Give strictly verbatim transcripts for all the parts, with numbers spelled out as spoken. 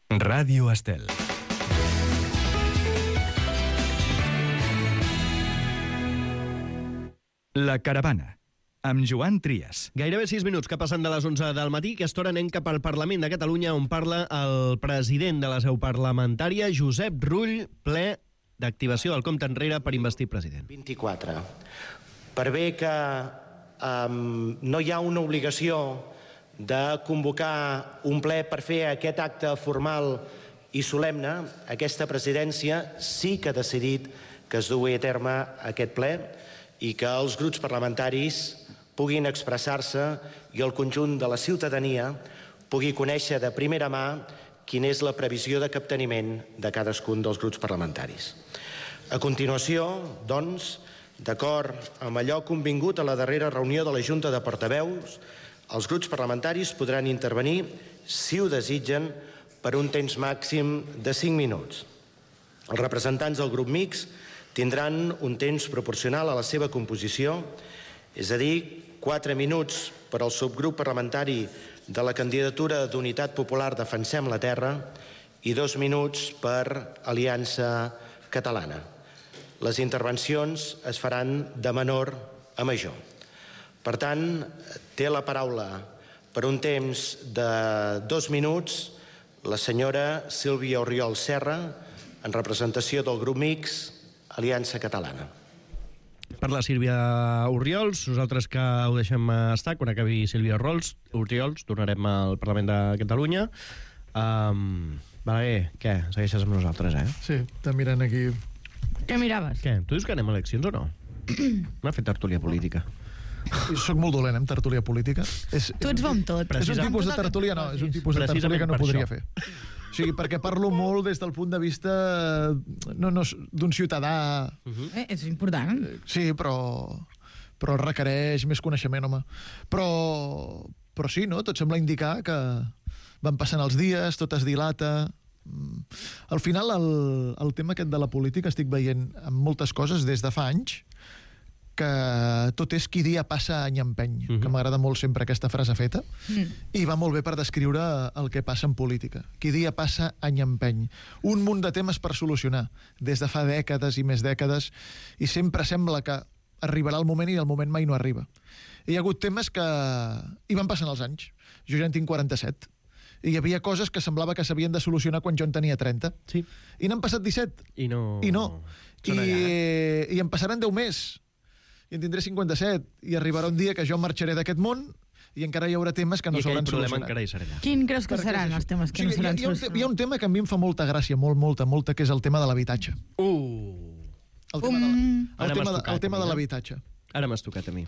Ràdio Estel. La Caravana, amb Joan Trias. Gairebé sis minuts que passen de les onze del matí. Aquesta hora anem cap al Parlament de Catalunya, on parla el president de la seu parlamentària, Josep Rull, ple d'activació del compte enrere per investir president. vint-i-quatre. Per bé que um, no hi ha una obligació de convocar un ple per fer aquest acte formal i solemne, aquesta presidència sí que ha decidit que es dugui a terme aquest ple i que els grups parlamentaris puguin expressar-se i el conjunt de la ciutadania pugui conèixer de primera mà quina és la previsió de capteniment de cadascun dels grups parlamentaris. A continuació, doncs, d'acord amb allò convingut a la darrera reunió de la Junta de Portaveus, els grups parlamentaris podran intervenir, si ho desitgen, per un temps màxim de cinc minuts. Els representants del grup mixt tindran un temps proporcional a la seva composició, és a dir, quatre minuts per al subgrup parlamentari de la candidatura d'Unitat Popular Defensem la Terra i dos minuts per Aliança Catalana. Les intervencions es faran de menor a major. Per tant, té la paraula per un temps de dos minuts la senyora Sílvia Oriol Serra, en representació del grup mixt Aliança Catalana. Per la Sílvia Oriols, nosaltres que ho deixem estar, quan acabi Sílvia Oriols, Oriols tornarem al Parlament de Catalunya. Um, Balaguer, què? Segueixes amb nosaltres, eh? Sí, està mirant aquí. Què miraves? Què? Tu dius que anem a eleccions o no? M'ha fet tertúlia política. Jo soc molt dolent amb tertúlia política. És, Tu ets bo amb tot. és un tipus de tertúlia, no, és un tipus de tertúlia que no podria fer. O sigui, perquè parlo molt des del punt de vista no, no, d'un ciutadà. Uh-huh. Eh, és important. Sí, però, però requereix més coneixement, home. Però, però sí, no? Tot sembla indicar que van passant els dies, tot es dilata. Al final, el, el tema aquest de la política estic veient amb moltes coses des de fa anys, que tot és qui dia passa any empeny, uh-huh. que m'agrada molt sempre aquesta frase feta, mm. i va molt bé per descriure el que passa en política. Qui dia passa any empeny. Un munt de temes per solucionar, des de fa dècades i més dècades, i sempre sembla que arribarà el moment i el moment mai no arriba. Hi ha hagut temes que hi van passant els anys. Jo ja en tinc quaranta-set. I hi havia coses que semblava que s'havien de solucionar quan jo en tenia trenta. Sí. I n'han passat disset. I no... I no. I, I en passaran deu més. I en tindré cinquanta-set, i arribarà un dia que jo marxaré d'aquest món i encara hi haurà temes que no s'hauran solucionat. Encara hi serà. Quin creus que seran els temes que sí, no seran hi ha, solucionats? hi ha un tema que a mi em fa molta gràcia, molt, molta, molta, que és el tema de l'habitatge. Uh. El tema de, Ara el tema de, m'has tocat el tema a mi, de eh? l'habitatge. Ara m'has tocat a mi.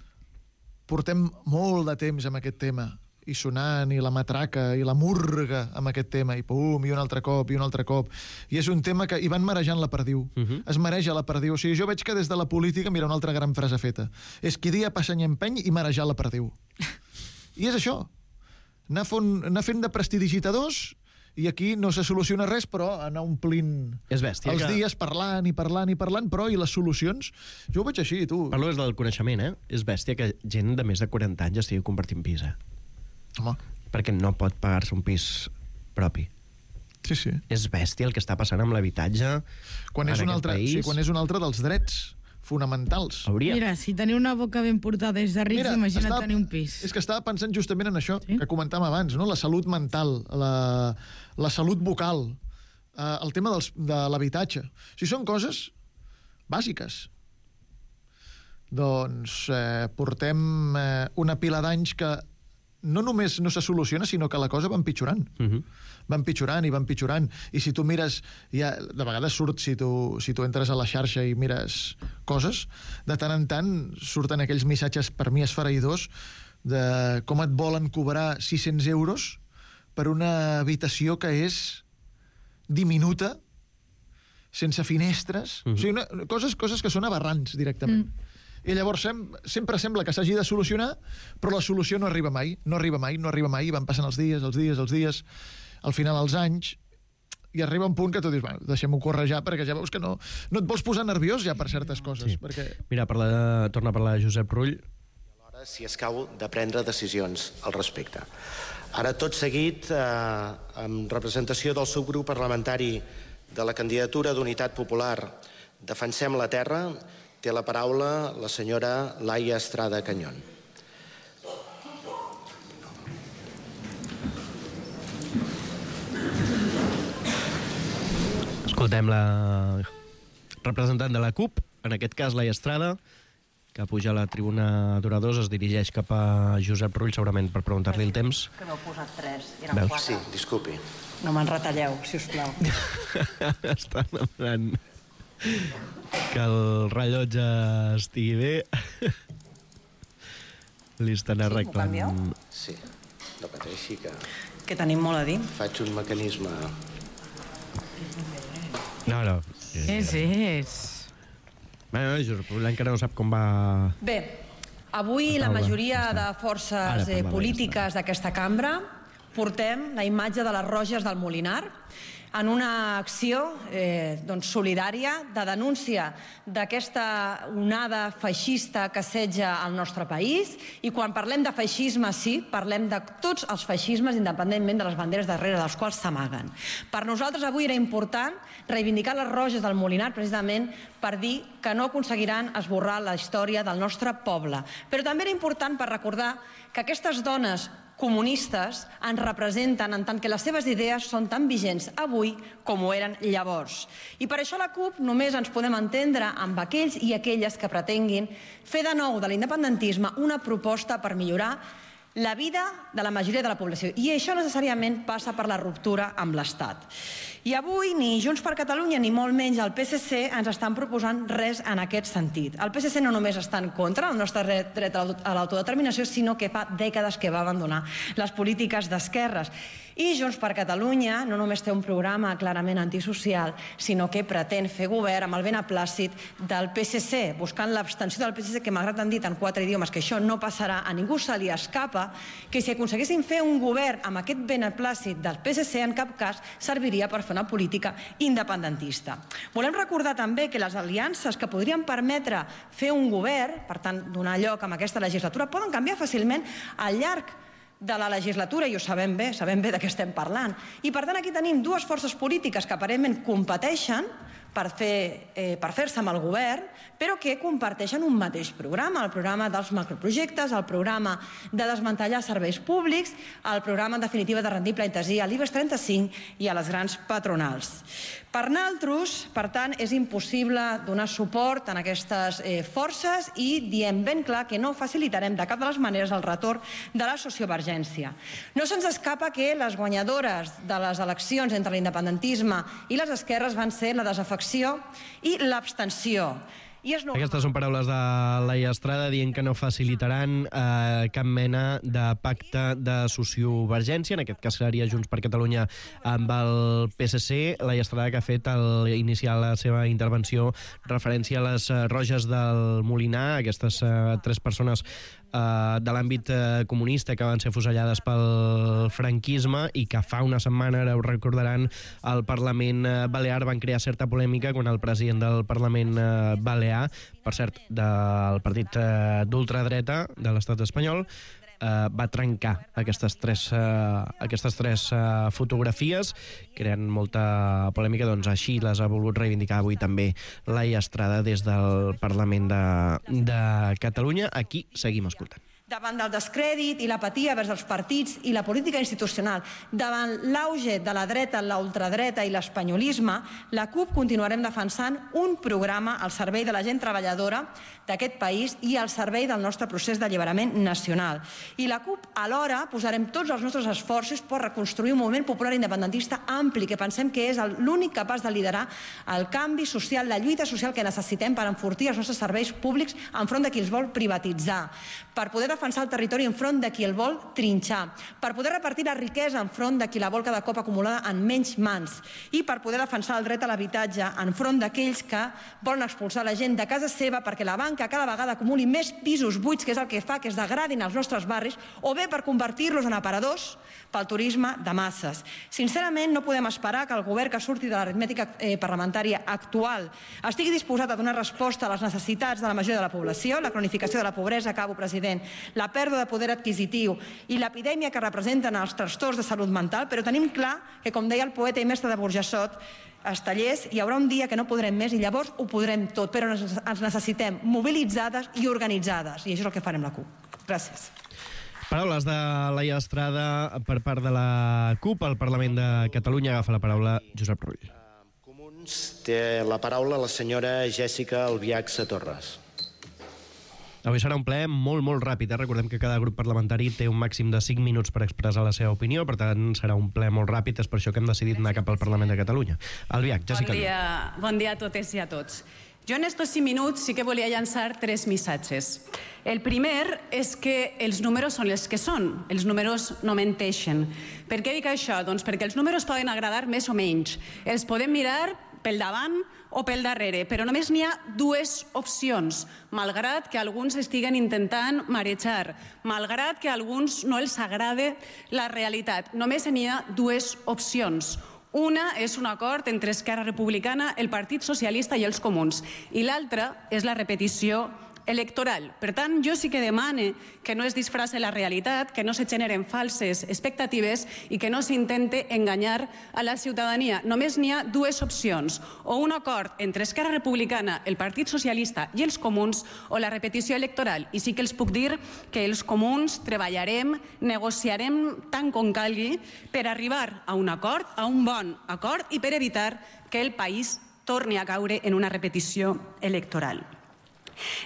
Portem molt de temps amb aquest tema, i sonant, i la matraca, i la murga amb aquest tema, i pum, i un altre cop, i un altre cop. I és un tema que hi van marejant la perdiu. Uh-huh. Es mareja la perdiu. O sigui, jo veig que des de la política, mira, una altra gran frase feta, és qui dia passa any empeny i marejar la perdiu. I és això. Anar, fon, anar fent de prestidigitadors, i aquí no se soluciona res, però anar omplint és bèstia, els que... dies parlant i parlant i parlant, però i les solucions? Jo ho veig així, tu. Parlo des del coneixement, eh? És bèstia que gent de més de quaranta anys estigui compartint pis, eh? Home. Perquè no pot pagar-se un pis propi. Sí, sí. És bèstia el que està passant amb l'habitatge quan en és un aquest altre, país. sí, quan és un altre dels drets fonamentals. Hauria. Mira, si teniu una boca ben portada des de rics, Mira, imagina't estava, tenir un pis. És que estava pensant justament en això, sí? que comentàvem abans, no? La salut mental, la, la salut vocal, eh, el tema dels, de l'habitatge. O sigui, són coses bàsiques. Doncs eh, portem eh, una pila d'anys que no només no se soluciona, sinó que la cosa va empitjorant. Uh-huh. Va empitjorant i va empitjorant. I si tu mires, ja, de vegades surt, si tu, si tu entres a la xarxa i mires coses, de tant en tant surten aquells missatges, per mi esfereïdors, de com et volen cobrar sis-cents euros per una habitació que és diminuta, sense finestres. Uh-huh. O sigui, una, coses, coses que són aberrants directament. Mm. I llavors sem sempre sembla que s'hagi de solucionar, però la solució no arriba mai, no arriba mai, no arriba mai, i van passant els dies, els dies, els dies, al final els anys, i arriba un punt que tu dius, bueno, deixem-ho córrer ja, perquè ja veus que no, no et vols posar nerviós ja per certes coses. Sí. Perquè... Mira, parla de, torna a parlar de Josep Rull. Si escau de prendre decisions al respecte. Ara, tot seguit, eh, en representació del subgrup parlamentari de la candidatura d'Unitat Popular Defensem la Terra, té la paraula la senyora Laia Estrada Cañón. Escoltem la representant de la CUP, en aquest cas Laia Estrada, que puja a la tribuna d'oradors, es dirigeix cap a Josep Rull, segurament per preguntar-li el temps. Que m'heu posat tres, eren Veus? quatre. Sí, disculpi. No me'n retalleu, si us plau. Està demanant que el rellotge estigui bé. Li estan arreglant... Sí, m'ho canvieu? Sí, no pateixi que Que tenim molt a dir. faig un mecanisme... No, no. És, és. Bueno, Josep Rull encara no sap com va... Bé, avui la Taula. majoria Ja està. de Ara forces eh, parla polítiques d'aquesta cambra portem la imatge de les Roges del Molinar en una acció eh, doncs, solidària de denúncia d'aquesta onada feixista que assetja el nostre país. I quan parlem de feixisme, sí, parlem de tots els feixismes, independentment de les banderes darrere dels quals s'amaguen. Per nosaltres avui era important reivindicar les Roges del Molinar precisament per dir que no aconseguiran esborrar la història del nostre poble. Però també era important per recordar que aquestes dones comunistes ens representen en tant que les seves idees són tan vigents avui com ho eren llavors. I per això la CUP només ens podem entendre amb aquells i aquelles que pretenguin fer de nou de l'independentisme una proposta per millorar la vida de la majoria de la població. I això necessàriament passa per la ruptura amb l'Estat. I avui ni Junts per Catalunya ni molt menys el P S C ens estan proposant res en aquest sentit. El P S C no només està en contra del nostre dret a l'autodeterminació, sinó que fa dècades que va abandonar les polítiques d'esquerres. I Junts per Catalunya no només té un programa clarament antisocial, sinó que pretén fer govern amb el beneplàcit del P S C, buscant l'abstenció del P S C, que malgrat han dit en quatre idiomes que això no passarà, a ningú se li escapa que si aconseguessin fer un govern amb aquest beneplàcit del P S C, en cap cas serviria per fer una política independentista. Volem recordar també que les aliances que podrien permetre fer un govern, per tant, donar lloc a aquesta legislatura, poden canviar fàcilment al llarg de la legislatura, i ho sabem bé, sabem bé de què estem parlant. I per tant aquí tenim dues forces polítiques que aparentment competeixen per fer, eh, per fer-se amb el govern, però que comparteixen un mateix programa, el programa dels macroprojectes, el programa de desmantellar serveis públics, el programa en definitiva de rendir pleitesia a l'I B E S trenta-cinc i a les grans patronals. Per nosaltres, per tant, és impossible donar suport a aquestes eh, forces i diem ben clar que no facilitarem de cap de les maneres el retorn de la sociovergència. No se'ns escapa que les guanyadores de les eleccions entre l'independentisme i les esquerres van ser la desafecció i l'abstenció. I és normal. Aquestes són paraules de Laia Estrada dient que no facilitaran eh, cap mena de pacte de sociovergència, en aquest cas seria Junts per Catalunya amb el P S C. Laia Estrada, que ha fet al iniciar la seva intervenció referència a les eh, Roges del Molinar, aquestes eh, tres persones eh, de l'àmbit eh, comunista que van ser fusellades pel franquisme i que fa una setmana, ara ho recordaran, al Parlament eh, Balear van crear certa polèmica quan el president del Parlament eh, Balear, per cert, del partit eh, d'ultradreta de l'estat espanyol, eh, va trencar aquestes tres, eh, aquestes tres eh, fotografies, creant molta polèmica. Doncs així les ha volgut reivindicar avui també Laia Estrada des del Parlament de, de Catalunya. Aquí seguim escoltant. Davant del descrèdit i l'apatia vers els partits i la política institucional, davant l'auge de la dreta, la ultradreta i l'espanyolisme, la CUP continuarem defensant un programa al servei de la gent treballadora d'aquest país i al servei del nostre procés d'alliberament nacional. I la CUP, alhora, posarem tots els nostres esforços per reconstruir un moviment popular independentista ampli, que pensem que és l'únic capaç de liderar el canvi social, la lluita social que necessitem per enfortir els nostres serveis públics enfront de qui els vol privatitzar, per poder defensar el territori enfront de qui el vol trinxar, per poder repartir la riquesa enfront de qui la vol cada cop acumulada en menys mans i per poder defensar el dret a l'habitatge enfront d'aquells que volen expulsar la gent de casa seva perquè la banca cada vegada acumuli més pisos buits, que és el que fa que es degradin els nostres barris, o bé per convertir-los en aparadors pel turisme de masses. Sincerament, no podem esperar que el govern que surti de l'aritmètica eh, parlamentària actual estigui disposat a donar resposta a les necessitats de la majoria de la població, la cronificació de la pobresa, acabo, president, la pèrdua de poder adquisitiu i l'epidèmia que representen els trastorns de salut mental, però tenim clar que, com deia el poeta i mestre de Burjassot, Estellers, hi haurà un dia que no podrem més i llavors ho podrem tot, però ens necessitem mobilitzades i organitzades, i això és el que farem la CUP. Gràcies. Paraules de Laia Estrada per part de la CUP al Parlament de Catalunya. Agafa la paraula Josep Rull. Comuns té la paraula la senyora Jèssica Albiach Satorres. Avui serà un ple molt, molt ràpid. Eh? Recordem que cada grup parlamentari té un màxim de cinc minuts per expressar la seva opinió, per tant serà un ple molt ràpid, és per això que hem decidit anar cap al Parlament de Catalunya. Albiach, Jessica. Bon dia, bon dia a totes i a tots. Jo en estos cinc minuts sí que volia llançar tres missatges. El primer és que els números són els que són, els números no menteixen. Per què dic això? Doncs perquè els números poden agradar més o menys. Els podem mirar pel davant o pel darrere, però només n'hi ha dues opcions, malgrat que alguns estiguen intentant marejar, malgrat que a alguns no els agrada la realitat. Només n'hi ha dues opcions. Una és un acord entre Esquerra Republicana, el Partit Socialista i els Comuns, i l'altra és la repetició electoral. Per tant, jo sí que demane que no es disfrace la realitat, que no se generen falses expectatives i que no s'intente enganyar a la ciutadania. Només n'hi ha dues opcions, o un acord entre Esquerra Republicana, el Partit Socialista i els Comuns, o la repetició electoral. I sí que els puc dir que els Comuns treballarem, negociarem tant com calgui per arribar a un acord, a un bon acord, i per evitar que el país torni a caure en una repetició electoral.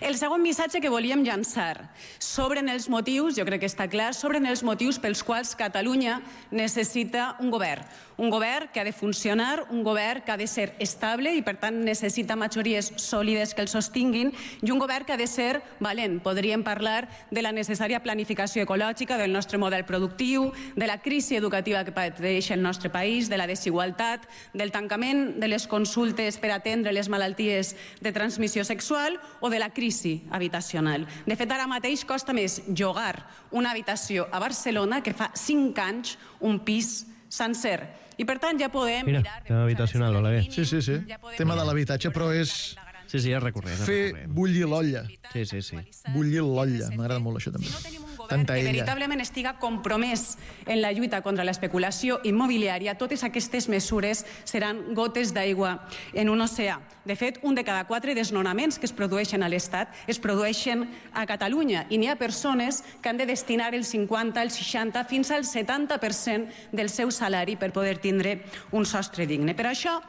El segon missatge que volíem llançar, s'obren els motius, jo crec que està clar, s'obren els motius pels quals Catalunya necessita un govern. Un govern que ha de funcionar, un govern que ha de ser estable i, per tant, necessita majories sòlides que el sostinguin, i un govern que ha de ser valent. Podríem parlar de la necessària planificació ecològica del nostre model productiu, de la crisi educativa que pateix el nostre país, de la desigualtat, del tancament de les consultes per atendre les malalties de transmissió sexual o de la crisi habitacional. De fet, ara mateix costa més llogar una habitació a Barcelona que fa cinc anys un pis sencer. I per tant ja podem Mira, mirar... tema habitacional, Oleguer. Sí, sí, sí. Tema de l'habitatge, però és Sí, sí, és recurrent. és fer recurrent. bullir l'olla. Sí, sí, sí. Bullir l'olla. M'agrada molt això, també. Si no tenim un govern Tanta que ella. veritablement estiga compromès en la lluita contra l'especulació immobiliària, totes aquestes mesures seran gotes d'aigua en un oceà. De fet, un de cada quatre desnonaments que es produeixen a l'Estat es produeixen a Catalunya, i n'hi ha persones que han de destinar el cinquanta, el seixanta, fins al setanta per cent del seu salari per poder tindre un sostre digne. Per això,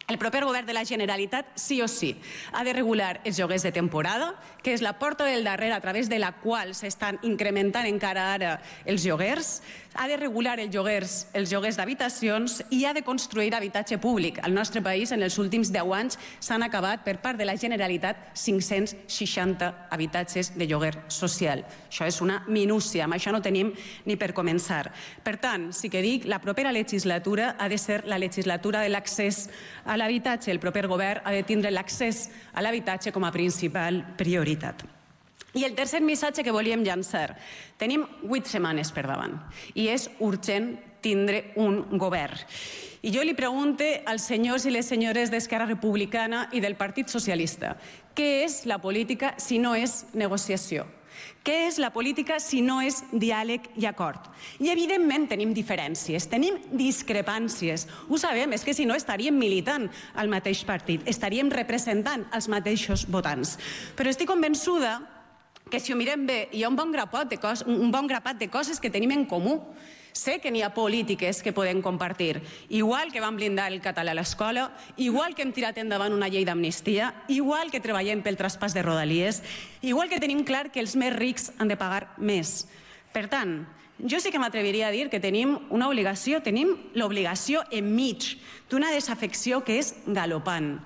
el proper govern de la Generalitat, sí o sí, ha de regular els lloguers de temporada, que és la porta del darrere a través de la qual s'estan incrementant encara ara els lloguers, ha de regular els lloguers, els lloguers d'habitacions i ha de construir habitatge públic. Al nostre país, en els últims deu anys, s'han acabat per part de la Generalitat cinc-cents seixanta habitatges de lloguer social. Això és una minúcia, amb això no tenim ni per començar. Per tant, sí que dic, la propera legislatura ha de ser la legislatura de l'accés a l'habitatge. El proper govern ha de tindre l'accés a l'habitatge com a principal prioritat. I el tercer missatge que volíem llançar. Tenim vuit setmanes per davant i és urgent tindre un govern. I jo li pregunte als senyors i les senyores d'Esquerra Republicana i del Partit Socialista, què és la política si no és negociació? Què és la política si no és diàleg i acord? I evidentment tenim diferències, tenim discrepàncies. Ho sabem, és que si no estaríem militant al mateix partit, estaríem representant els mateixos votants. Però estic convençuda que si ho mirem bé hi ha un bon grapat de coses, un bon grapat de coses que tenim en comú. Sé que n'hi ha polítiques que podem compartir. Igual que vam blindar el català a l'escola, igual que hem tirat endavant una llei d'amnistia, igual que treballem pel traspàs de rodalies, igual que tenim clar que els més rics han de pagar més. Per tant, jo sí que m'atreviria a dir que tenim una obligació, tenim l'obligació enmig d'una desafecció que és galopant,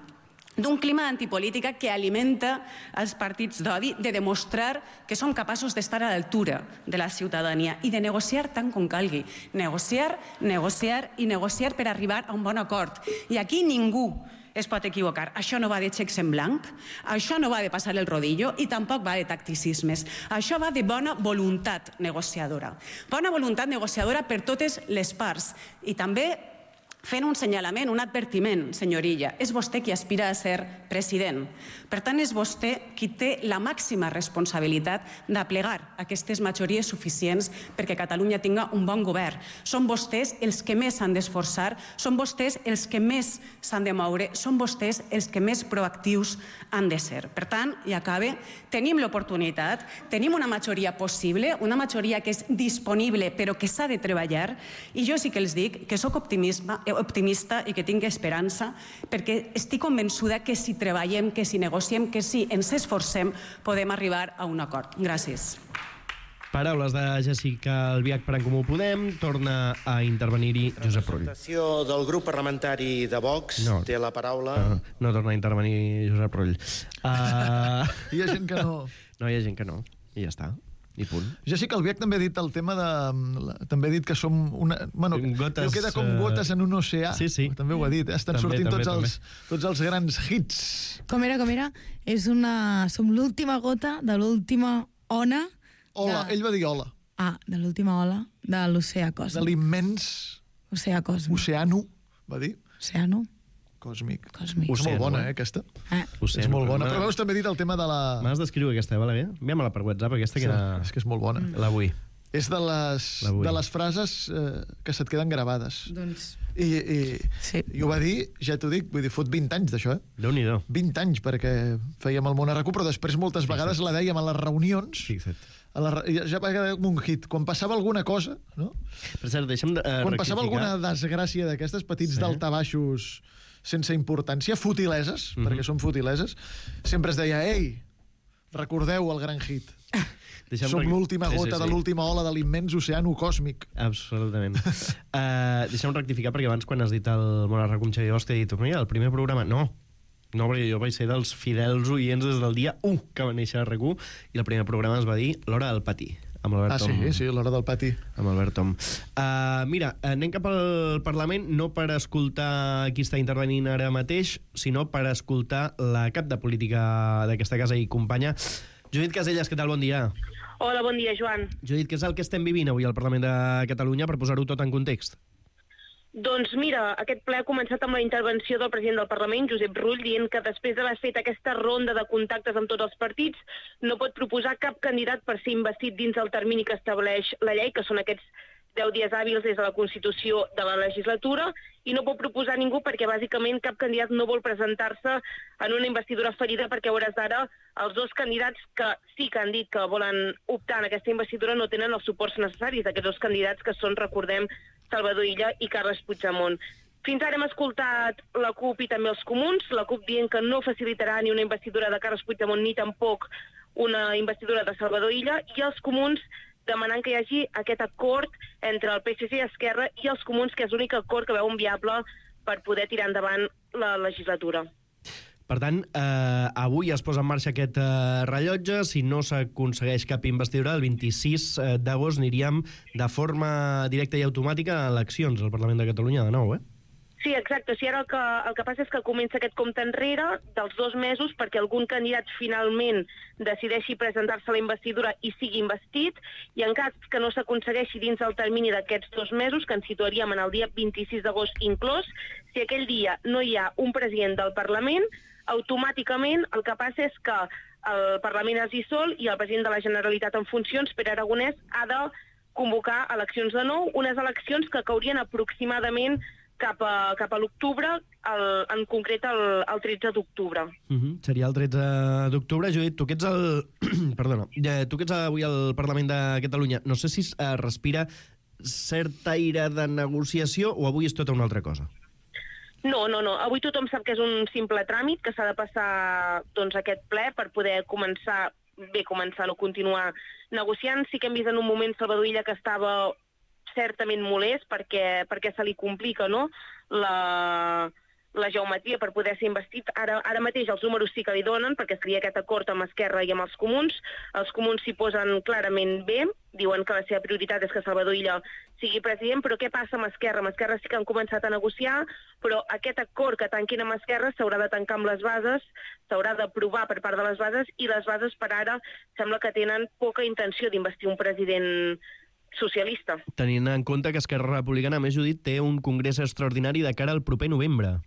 d'un clima d'antipolítica que alimenta els partits d'odi, de demostrar que som capaços d'estar a l'altura de la ciutadania i de negociar tant com calgui. Negociar, negociar i negociar per arribar a un bon acord. I aquí ningú es pot equivocar. Això no va de xecs en blanc, això no va de passar el rodillo i tampoc va de tacticismes. Això va de bona voluntat negociadora. Bona voluntat negociadora per totes les parts i també fent un senyalament, un advertiment, senyor Illa. És vostè qui aspira a ser president. Per tant, és vostè qui té la màxima responsabilitat d'aplegar aquestes majories suficients perquè Catalunya tinga un bon govern. Són vostès els que més s'han d'esforçar, són vostès els que més s'han de moure, són vostès els que més proactius han de ser. Per tant, i acabe, tenim l'oportunitat, tenim una majoria possible, una majoria que és disponible però que s'ha de treballar, i jo sí que els dic que sóc optimista, optimista i que tinc esperança, perquè estic convençuda que si treballem, que si negociem, que si ens esforcem, podem arribar a un acord. Gràcies. Paraules de Jessica Albiach per En Comú Podem. Torna a intervenir-hi Josep Rull. La representació del grup parlamentari de Vox no. té la paraula... No, no torna a intervenir Josep Rull. Uh... Hi ha gent que no... No, hi ha gent que no. I ja està. I punt. Jessica Albiach també ha dit el tema de... També ha dit que som una... Bueno, gotes, queda com gotes en un oceà. Sí, sí. També ho ha dit. Estan també, sortint també, tots, també. Els, tots els grans hits. Com era, com era? És una... Som l'última gota de l'última ona... Ola, de... ell va dir ola. Ah, de l'última ola de l'oceà còsmic. De l'immens... Oceà còsmic. Oceano, va dir. Oceano. Còsmic. Còsmic. És molt bona, eh, aquesta. Eh. És molt bona. Però veus, també he dit el tema de la... M'has d'escriure aquesta, vale bé? Envia-me-la per WhatsApp, aquesta que sí, era... És que és molt bona. La vull. És de les, de les frases eh, que se't queden gravades. Doncs... I, i, sí. I ho va dir, ja t'ho dic, vull dir, fot vint anys d'això, eh? Déu-n'hi-do. vint anys, perquè fèiem el Món a RAC u, però després moltes vegades Fixa't. La dèiem a les reunions. Fixa't. A la, ja va quedar com un hit. Quan passava alguna cosa, no? Per cert, deixa'm uh, Quan passava alguna desgràcia d'aquestes petits sí. daltabaixos sense importància, futileses, mm-hmm. perquè són futileses, sempre es deia, ei, recordeu el gran hit. Deixem Som l'última gota sí, sí, sí. de l'última ola de l'immens oceano còsmic. Absolutament. uh, deixa'm rectificar, perquè abans, quan has dit el Món a RAC u amb Xavier Bosch, t'he dit, mira, el primer programa... No, no, perquè jo vaig ser dels fidels oients des del dia u que va néixer a RAC u, i el primer programa es va dir L'Hora del Pati. Amb ah, sí, Tom. sí, l'Hora del Pati. Amb Albert Tom. Uh, mira, anem cap al Parlament no per escoltar qui està intervenint ara mateix, sinó per escoltar la cap de política d'aquesta casa i companya. Judit Casellas, què tal? Bon dia. Hola, bon dia, Joan. Judit, què és el que estem vivint avui al Parlament de Catalunya per posar-ho tot en context? Doncs mira, aquest ple ha començat amb la intervenció del president del Parlament, Josep Rull, dient que després d'haver fet aquesta ronda de contactes amb tots els partits no pot proposar cap candidat per ser investit dins el termini que estableix la llei, que són aquests deu dies hàbils des de la Constitució de la legislatura, i no pot proposar ningú perquè bàsicament cap candidat no vol presentar-se en una investidura ferida, perquè a hores d'ara els dos candidats que sí que han dit que volen optar en aquesta investidura no tenen els suports necessaris d'aquests dos candidats que són, recordem, Salvador Illa i Carles Puigdemont. Fins ara hem escoltat la CUP i també els comuns, la CUP dient que no facilitarà ni una investidura de Carles Puigdemont ni tampoc una investidura de Salvador Illa, i els comuns demanant que hi hagi aquest acord entre el P S C i Esquerra i els comuns, que és l'únic acord que veuen viable per poder tirar endavant la legislatura. Per tant, eh, avui es posa en marxa aquest eh, rellotge. Si no s'aconsegueix cap investidura, el vint-i-sis d'agost aniríem de forma directa i automàtica a eleccions al Parlament de Catalunya de nou, eh? Sí, exacte. Sí, ara el que, el que passa és que comença aquest compte enrere dels dos mesos perquè algun candidat finalment decideixi presentar-se a la investidura i sigui investit, i en cas que no s'aconsegueixi dins el termini d'aquests dos mesos, que ens situaríem en el dia vint-i-sis d'agost inclòs, si aquell dia no hi ha un president del Parlament, automàticament el que passa és que el Parlament es dissol i el president de la Generalitat en funcions, Pere Aragonès, ha de convocar eleccions de nou, unes eleccions que caurien aproximadament cap a, cap a l'octubre, en concret el, el tretze d'octubre. Uh -huh. Seria el tretze d'octubre. Judit, tu que ets el... Perdona, tu que ets avui al Parlament de Catalunya, no sé si es respira cert aire de negociació o avui és tota una altra cosa? No, no, no. Avui tothom sap que és un simple tràmit, que s'ha de passar doncs, aquest ple per poder començar, bé, començar o continuar negociant. Sí que hem vist en un moment Salvador Illa que estava certament molest perquè, perquè se li complica, no?, la, la geometria per poder ser investit. Ara, ara mateix els números sí que li donen, perquè seria aquest acord amb Esquerra i amb els comuns. Els comuns s'hi posen clarament bé, diuen que la seva prioritat és que Salvador Illa sigui president, però què passa amb Esquerra? Amb Esquerra sí que han començat a negociar, però aquest acord que tanquin amb Esquerra s'haurà de tancar amb les bases, s'haurà d'aprovar per part de les bases, i les bases per ara sembla que tenen poca intenció d'investir un president socialista. Tenint en compte que Esquerra Republicana, a més, Judit, té un congrés extraordinari de cara al proper novembre.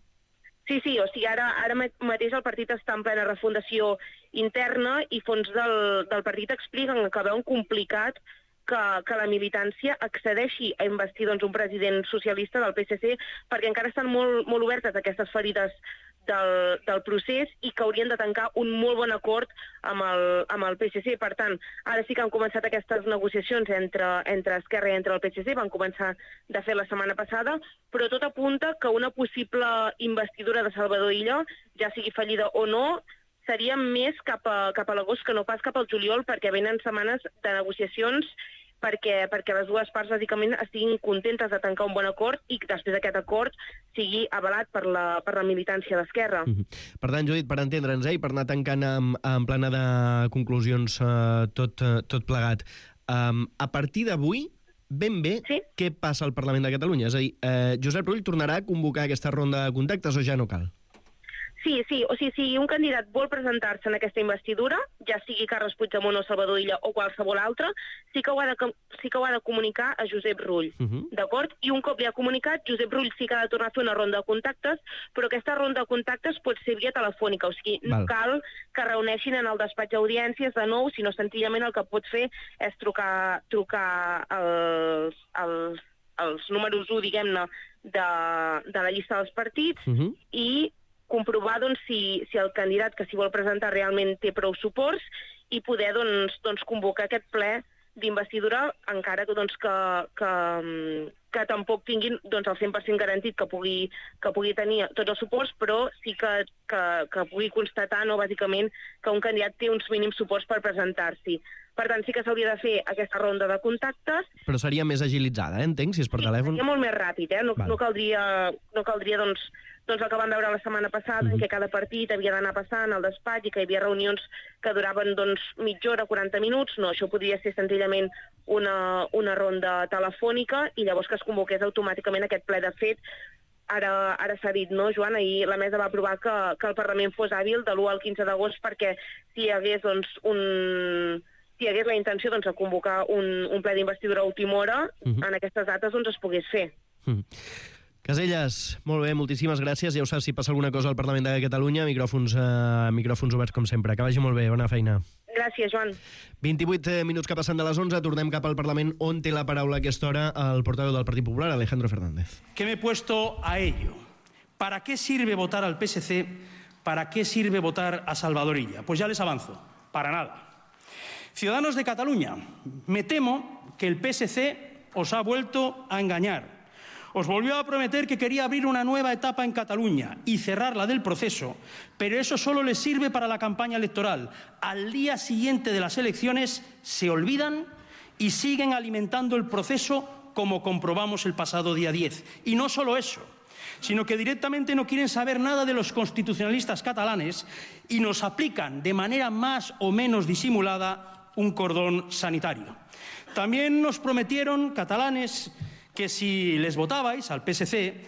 Sí, sí, o sigui, ara, ara mateix el partit està en plena refundació interna i fons del, del partit expliquen que veuen complicat que, que la militància accedeixi a investir doncs, un president socialista del P S C perquè encara estan molt, molt obertes aquestes ferides del, del procés i que haurien de tancar un molt bon acord amb el, amb el P S C. Per tant, ara sí que han començat aquestes negociacions entre, entre Esquerra i entre el P S C, van començar de fer la setmana passada, però tot apunta que una possible investidura de Salvador Illa, ja sigui fallida o no, seria més cap a, cap a l'agost que no pas cap al juliol, perquè venen setmanes de negociacions perquè, perquè les dues parts bàsicament estiguin contentes de tancar un bon acord i que després d'aquest acord sigui avalat per la, per la militància d'Esquerra. Mm-hmm. Per tant, Judit, per entendre'ns, eh, i per anar tancant en, en plana de conclusions eh, tot, eh, tot plegat, um, a partir d'avui, ben bé, sí? Què passa al Parlament de Catalunya? És a dir, eh, Josep Rull tornarà a convocar aquesta ronda de contactes o ja no cal? Sí, sí, o sigui, si un candidat vol presentar-se en aquesta investidura, ja sigui Carles Puigdemont o Salvador Illa o qualsevol altre, sí que ho ha de, sí que ho ha de comunicar a Josep Rull, uh-huh. D'acord? I un cop li ha comunicat, Josep Rull sí que ha de tornar a fer una ronda de contactes, però aquesta ronda de contactes pot ser via telefònica, o sigui, no Val. cal que reuneixin en el despatx d'audiències de nou, sinó senzillament el que pot fer és trucar, trucar els, els, els números u, diguem-ne, de, de la llista dels partits uh-huh. i comprovar doncs, si, si el candidat que s'hi vol presentar realment té prou suports i poder doncs, doncs, convocar aquest ple d'investidura encara que, doncs, que, que, que tampoc tinguin doncs, el cent per cent garantit que pugui, que pugui tenir tots els suports, però sí que, que, que pugui constatar, no, bàsicament, que un candidat té uns mínims suports per presentar-s'hi. Per tant, sí que s'hauria de fer aquesta ronda de contactes. Però seria més agilitzada, eh? Entenc, si és per sí, telèfon. Seria molt més ràpid, eh? No, no caldria, no caldria doncs, doncs el que vam veure la setmana passada, mm-hmm. en què cada partit havia d'anar passant al despatx i que hi havia reunions que duraven doncs, mitja hora, quaranta minuts. No, això podria ser senzillament una, una ronda telefònica i llavors que es convoqués automàticament aquest ple. De fet, ara, ara s'ha dit, no, Joan? Ahir la mesa va aprovar que, que el Parlament fos hàbil de l'u al quinze d'agost perquè si hi hagués doncs, un... si hi hagués la intenció doncs, de convocar un, un ple d'investidura a última hora, uh-huh. en aquestes dates doncs, es pogués fer. Uh-huh. Caselles, molt bé, moltíssimes gràcies. Ja ho saps, si passa alguna cosa al Parlament de Catalunya, micròfons, eh, micròfons oberts com sempre. Que vagi molt bé, bona feina. Gràcies, Joan. vint-i-vuit minuts que passen de les onze, tornem cap al Parlament, on té la paraula a aquesta hora el portaveu del Partit Popular, Alejandro Fernández. Que me he puesto a ello. ¿Para qué sirve votar al P S C? ¿Para qué sirve votar a Salvador Illa? Pues ya les avanzo, para nada. Ciudadanos de Cataluña, me temo que el P S C os ha vuelto a engañar. Os volvió a prometer que quería abrir una nueva etapa en Cataluña y cerrarla del proceso, pero eso solo les sirve para la campaña electoral. Al día siguiente de las elecciones se olvidan y siguen alimentando el proceso como comprobamos el pasado día diez. Y no solo eso, sino que directamente no quieren saber nada de los constitucionalistas catalanes y nos aplican de manera más o menos disimulada un cordón sanitario. También nos prometieron, catalanes, que si les votabais al P S C,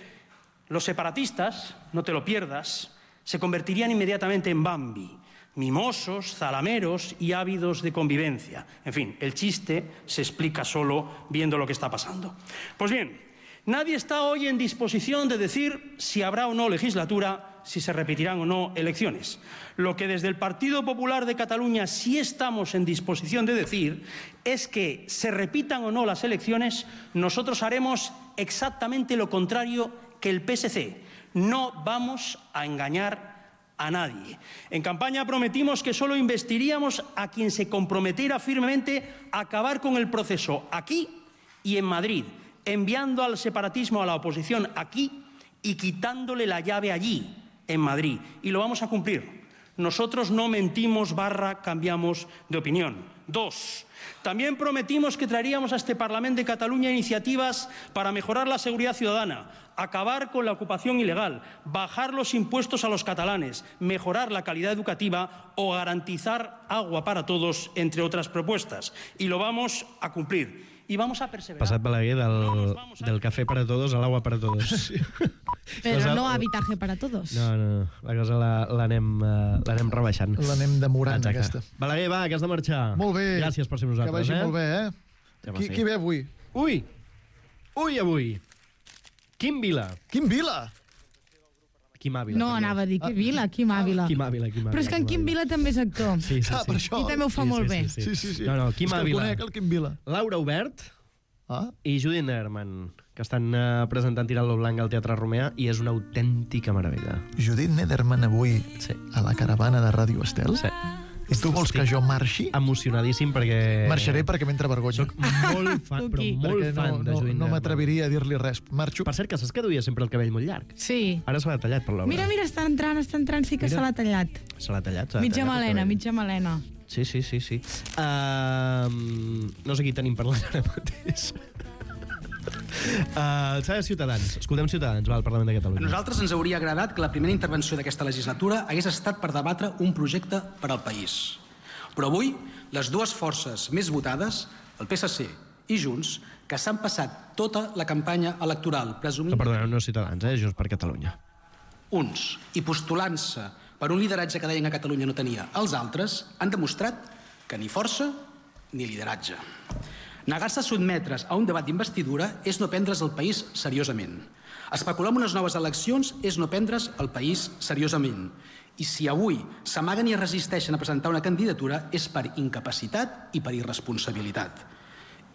los separatistas, no te lo pierdas, se convertirían inmediatamente en Bambi, mimosos, zalameros y ávidos de convivencia. En fin, el chiste se explica solo viendo lo que está pasando. Pues bien, nadie está hoy en disposición de decir si habrá o no legislatura, si se repetirán o no elecciones. Lo que desde el Partido Popular de Cataluña sí estamos en disposición de decir es que se repitan o no las elecciones, nosotros haremos exactamente lo contrario que el P S C. No vamos a engañar a nadie. En campaña prometimos que solo investiríamos a quien se comprometiera firmemente a acabar con el proceso aquí y en Madrid, enviando al separatismo a la oposición aquí y quitándole la llave allí, en Madrid. Y lo vamos a cumplir. Nosotros no mentimos barra cambiamos de opinión. Dos, también prometimos que traeríamos a este Parlamento de Cataluña iniciativas para mejorar la seguridad ciudadana, acabar con la ocupación ilegal, bajar los impuestos a los catalanes, mejorar la calidad educativa o garantizar agua para todos, entre otras propuestas. Y lo vamos a cumplir. Y vamos a perseverar. Passat Balaguer del, no del café para todos a l'agua para todos. Sí. Però cosa, no habitaje para todos. No, no, la cosa l'anem la, rebaixant. L'anem demorant, aquesta. Balaguer, va, que has de marxar. Molt bé. Gràcies per ser nosaltres. Que vagi eh? molt bé, eh? Qui, qui ve avui? Ui! Ui, avui! Quim Vila. Quim Vila? Quim Ávila. No, també. anava a dir que Vila, Quim Ávila. Quim Ávila, Quim Ávila. Però és que en Quim Vila també és actor. Sí, sí, sí. Ah, per això. I també ho fa Sí, molt sí, bé. sí, Sí, sí, sí. No, no, Quim és que el Ávila. conec, el Quim Vila. Laura Obert Ah? i Judit Nerman, que estan uh, presentant Tirant lo Blanc al Teatre Romea, i és una autèntica meravella. Judit Nederman avui Sí. a la caravana de Ràdio Estel? Sí. I tu vols que jo marxi? Emocionadíssim perquè... Marxaré perquè m'entra vergonya. Soc molt fan, però Cuqui. molt Perquè fan no, de no, Judit no Nerman. m'atreviria a dir-li res. Marxo. Per cert, que saps que duia sempre el cabell molt llarg? Sí. Ara se l'ha tallat per l'obra. Mira, mira, està entrant, està entrant, sí que Mira. se l'ha tallat. Se l'ha tallat. se l'ha Mitja tallat el melena, cabell. mitja melena. Sí, sí, sí, sí. Uh, no sé qui tenim parlant ara mateix. Uh, S'ha de Ciutadans. Escoltem Ciutadans, va, al Parlament de A Catalunya. nosaltres ens hauria agradat que la primera intervenció d'aquesta legislatura hagués estat per debatre un projecte per al país. Però avui, les dues forces més votades, el P S C i Junts, que s'han passat tota la campanya electoral presumint... No, perdoneu, no Ciutadans, eh? Junts per Catalunya. Uns, i postulant-se per un lideratge que deien que Catalunya no tenia, els altres han demostrat que ni força ni lideratge. Negar-se a sotmetre's a un debat d'investidura és no prendre's el país seriosament. Especular amb unes noves eleccions és no prendre's el país seriosament. I si avui s'amaguen i es resisteixen a presentar una candidatura és per incapacitat i per irresponsabilitat.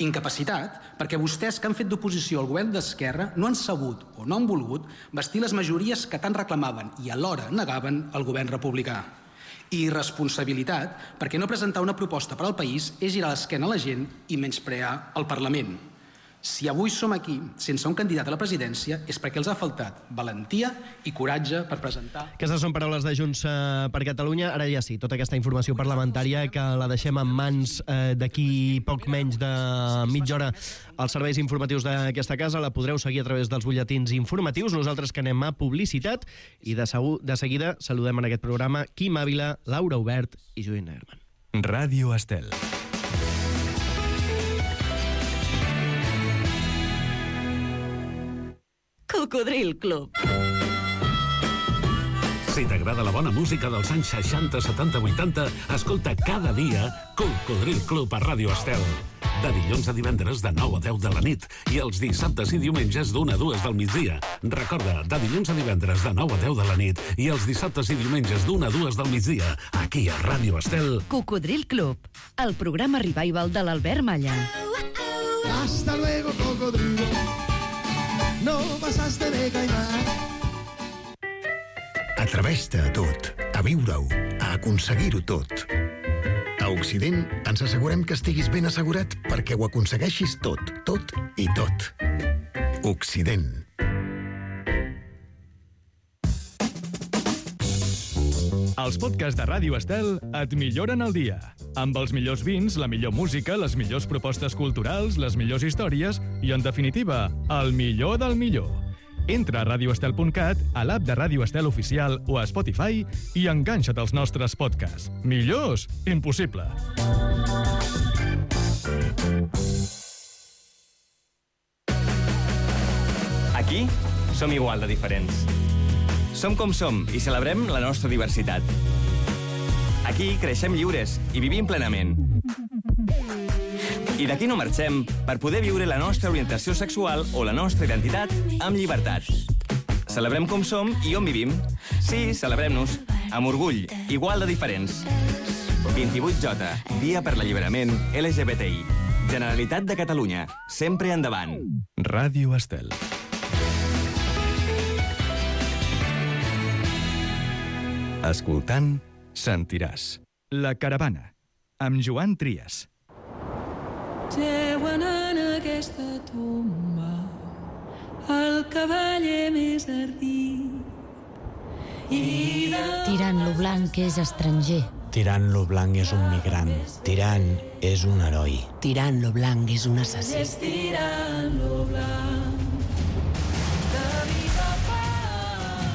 Incapacitat perquè vostès que han fet d'oposició al govern d'Esquerra no han sabut o no han volgut vestir les majories que tant reclamaven i alhora negaven al govern republicà. I irresponsabilitat perquè no presentar una proposta per al país és girar l'esquena a la gent i menysprear el Parlament. Si avui som aquí sense un candidat a la presidència és perquè els ha faltat valentia i coratge per presentar... Aquestes són paraules de Junts eh, per Catalunya. Ara ja sí, tota aquesta informació parlamentària que la deixem en mans eh, d'aquí poc menys de mitja hora als serveis informatius d'aquesta casa. La podreu seguir a través dels butlletins informatius. Nosaltres que anem a publicitat i de, segur, de seguida saludem en aquest programa Quim Ávila, Laura Obert i Judit Nerman. Ràdio Estel. Cocodril Club. Si t'agrada la bona música dels anys seixanta, setanta, vuitanta, escolta cada dia Cocodril Club a Ràdio Estel. De dilluns a divendres de nou a deu de la nit i els dissabtes i diumenges d'una a dues del migdia. Recorda, de dilluns a divendres de nou a deu de la nit i els dissabtes i diumenges d'una a dues del migdia, aquí a Ràdio Estel. Cocodril Club, el programa revival de l'Albert Malla. Hasta luego, cocodrilo. No pasaste de caimán. Atreveix-te a tot, a viure-ho, a aconseguir-ho tot. A Occident ens assegurem que estiguis ben assegurat perquè ho aconsegueixis tot, tot i tot. Occident. Els podcasts de Ràdio Estel et milloren el dia. Amb els millors vins, la millor música, les millors propostes culturals, les millors històries i, en definitiva, el millor del millor. Entra a radio estel punt cat, a l'app de Ràdio Estel Oficial o a Spotify i enganxa't als nostres podcasts. Millors? Impossible. Aquí som igual de diferents. Som com som i celebrem la nostra diversitat. Aquí creixem lliures i vivim plenament. I d'aquí no marxem per poder viure la nostra orientació sexual o la nostra identitat amb llibertat. Celebrem com som i on vivim. Sí, celebrem-nos, amb orgull, igual de diferents. vint-i-vuit J, Dia per l'Alliberament L G B T I. Generalitat de Catalunya, sempre endavant. Ràdio Estel. Escoltant, sentiràs. La Caravana, amb Joan Trias. Jeuen en aquesta tomba el cavaller més ardit. I de... Tirant lo blanc és estranger. Tirant lo blanc és un migrant. Tirant és un heroi. Tirant lo blanc és un assassí. És tirant lo blanc. De viva pau.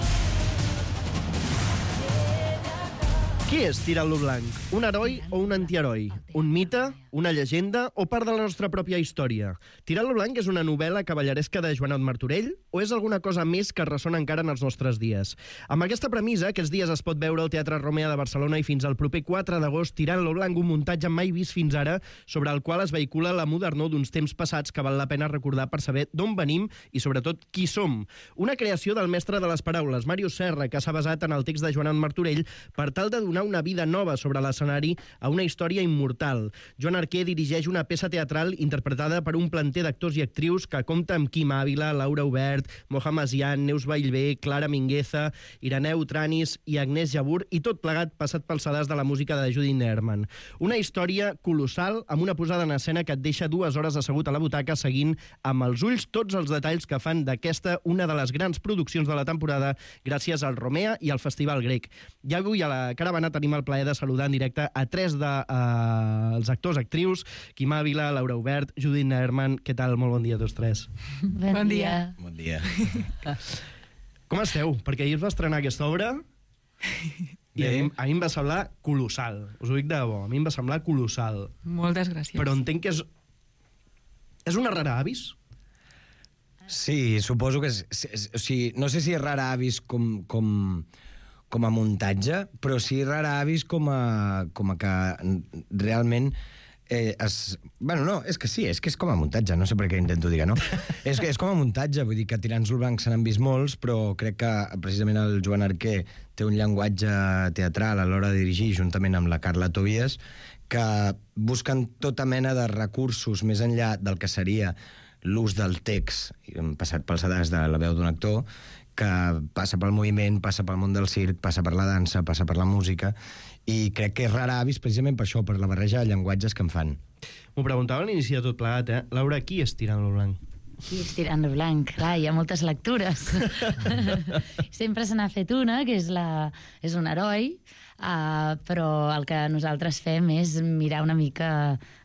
Qui és Tirant-lo Blanc? Un heroi o un antiheroi? Un mite? Una llegenda? O part de la nostra pròpia història? Tirant-lo Blanc és una novel·la cavalleresca de Joanot Martorell o és alguna cosa més que ressona encara en els nostres dies? Amb aquesta premissa, aquests dies es pot veure al Teatre Romea de Barcelona i fins al proper quatre d'agost Tirant-lo Blanc, un muntatge mai vist fins ara sobre el qual es vehicula la modernor d'uns temps passats que val la pena recordar per saber d'on venim i sobretot qui som. Una creació del mestre de les paraules, Màrius Serra, que s'ha basat en el text de Joanot Martorell per tal de donar una vida nova sobre l'escenari a una història immortal. Joan Arquer dirigeix una peça teatral interpretada per un planter d'actors i actrius que compta amb Quim Ávila, Laura Obert, Mohamed Zian, Neus Vallvé, Clara Mingueza, Ireneu Tranis i Agnès Jabur, i tot plegat passat pel sedàs de la música de Judy Nerman. Una història colossal amb una posada en escena que et deixa dues hores assegut a la butaca seguint amb els ulls tots els detalls que fan d'aquesta una de les grans produccions de la temporada gràcies al Romea i al Festival Grec. I avui a la caravana tenim el plaer de saludar en directe a tres dels de, uh, actors, actrius, Quim Ávila, Laura Obert, Judit Nerman. Què tal? Molt bon dia a tots tres. Bon, bon dia. Bon dia. Com esteu? Perquè ahir es va estrenar aquesta obra i a mi, a mi em va semblar colossal. Us ho dic de debò, a mi em va semblar colossal. Moltes gràcies. Però entenc que és... És una rara avis? Sí, suposo que és... és o sigui, no sé si és rara avis com... com... com a muntatge, però sí rara avis com a, com a que realment eh, es... Bueno, no, és que sí, és que és com a muntatge, no sé per què intento dir que no. és, que és com a muntatge, vull dir que Tirants-lo Blanc se n'han vist molts, però crec que precisament el Joan Arquer té un llenguatge teatral a l'hora de dirigir, juntament amb la Carla Tobias, que busquen tota mena de recursos més enllà del que seria l'ús del text, passat pel sedàs de la veu d'un actor, que passa pel moviment, passa pel món del circ, passa per la dansa, passa per la música, i crec que és rara avis precisament per això, per la barreja de llenguatges que en fan. M'ho preguntava a l'inici de tot plegat, eh? Laura, qui és Tirant-lo Blanc? Qui és Tirant-lo Blanc? Clar, hi ha moltes lectures. Sempre se n'ha fet una, que és, la, és un heroi, uh, però el que nosaltres fem és mirar una mica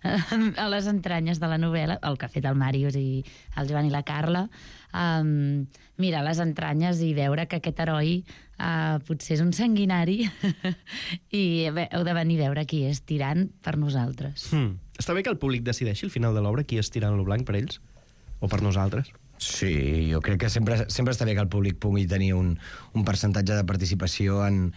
a les entranyes de la novel·la, el que ha fet el Màrius i el Joan i la Carla, um, mirar les entranyes i veure que aquest heroi uh, potser és un sanguinari i bé, heu de venir a veure qui és tirant per nosaltres. Hmm. Està bé que el públic decideixi al final de l'obra qui és Tirant-lo Blanc per ells? O per nosaltres? Sí, jo crec que sempre, sempre està bé que el públic pugui tenir un, un percentatge de participació en,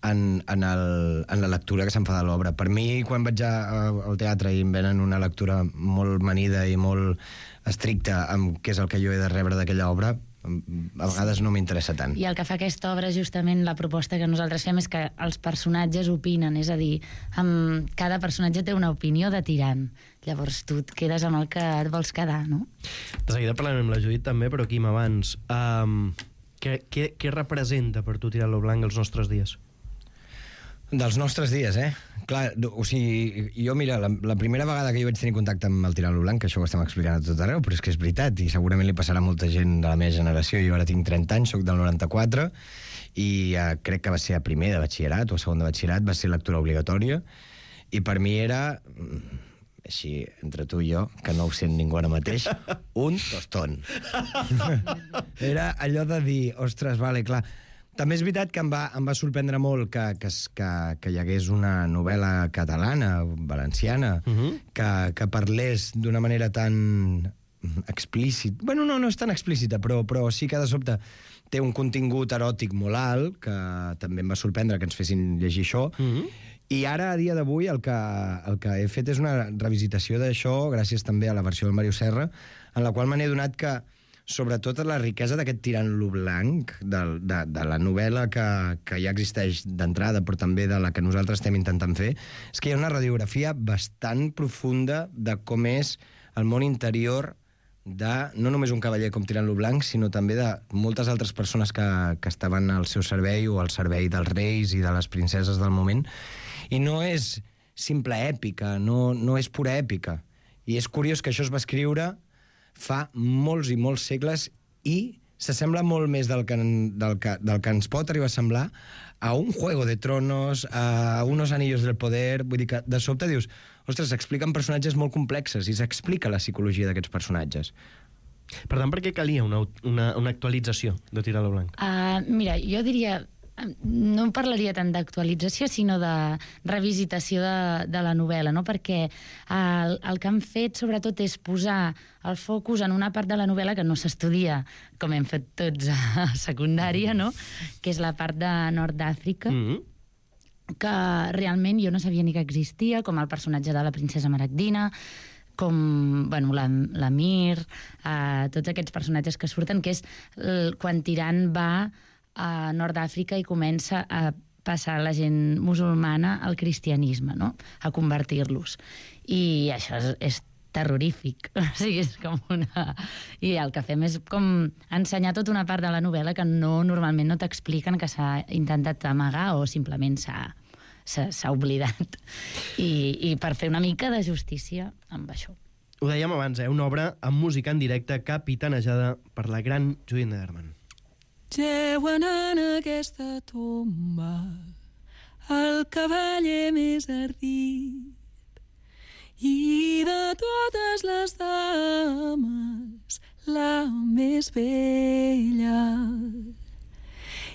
en, en, el, en la lectura que se'n fa de l'obra. Per mi, quan vaig a, a, al teatre i em venen una lectura molt manida i molt estricta amb què és el que jo he de rebre d'aquella obra, a vegades no m'interessa tant. I el que fa aquesta obra, justament, la proposta que nosaltres fem és que els personatges opinen, és a dir, amb... cada personatge té una opinió de tirant. Llavors tu et quedes amb el que et vols quedar, no? De seguida parlarem amb la Judit també, però Quim, abans, um, què, què, què representa per tu Tirant-lo Blanc els nostres dies? Dels nostres dies, eh? Clar, o sigui, jo, mira, la, la primera vegada que jo vaig tenir contacte amb el Tirant-lo Blanc, que això ho estem explicant a tot arreu, però és que és veritat, i segurament li passarà a molta gent de la meva generació. Jo ara tinc trenta anys, soc del noranta-quatre, i eh, crec que va ser a primer de batxillerat o a segon de batxillerat, va ser lectura obligatòria, i per mi era, així, entre tu i jo, que no ho sent ningú ara mateix, un tostón. Era allò de dir, ostres, vale, clar... També és veritat que em va, em va sorprendre molt que, que, que, que hi hagués una novel·la catalana, valenciana, uh-huh. que, que parlés d'una manera tan explícita. Bueno, no, no és tan explícita, però, però sí que de sobte té un contingut eròtic molt alt, que també em va sorprendre que ens fessin llegir això. Uh-huh. I ara, a dia d'avui, el, que, el que he fet és una revisitació d'això, gràcies també a la versió del Màrius Serra, en la qual me n'he donat que sobretot la riquesa d'aquest Tirant-lo Blanc, de, de, de la novel·la que, que ja existeix d'entrada, però també de la que nosaltres estem intentant fer, és que hi ha una radiografia bastant profunda de com és el món interior de no només un cavaller com Tirant-lo Blanc, sinó també de moltes altres persones que, que estaven al seu servei o al servei dels reis i de les princeses del moment. I no és simple èpica, no, no és pura èpica. I és curiós que això es va escriure fa molts i molts segles i s'assembla molt més del que, del, que, del que ens pot arribar a semblar a un Juego de Tronos, a unos Anillos del Poder. Vull dir que de sobte dius, ostres, s'expliquen personatges molt complexes i s'explica la psicologia d'aquests personatges. Per tant, per què calia una, una, una actualització de Tirant-lo Blanc? Uh, mira, jo diria no parlaria tant d'actualització, sinó de revisitació de, de la novel·la, no? Perquè el, el que han fet, sobretot, és posar el focus en una part de la novel·la que no s'estudia, com hem fet tots a secundària, no? Que és la part de Nord d'Àfrica, mm-hmm. que realment jo no sabia ni que existia, com el personatge de la princesa Maragdina, com bueno, l'Amir, eh, tots aquests personatges que surten, que és el, quan Tirant va a Nord d'Àfrica i comença a passar la gent musulmana al cristianisme, no? A convertir-los. I això és, és terrorífic. O sigui, és com una... I el que fem és com ensenyar tota una part de la novel·la que no, normalment no t'expliquen, que s'ha intentat amagar o simplement s'ha s'ha oblidat. I, I per fer una mica de justícia amb això. Ho dèiem abans, eh? Una obra amb música en directe capitanejada per la gran Judith Nederman. Jeuen en aquesta tomba el cavaller més ardit i de totes les dames la més bella.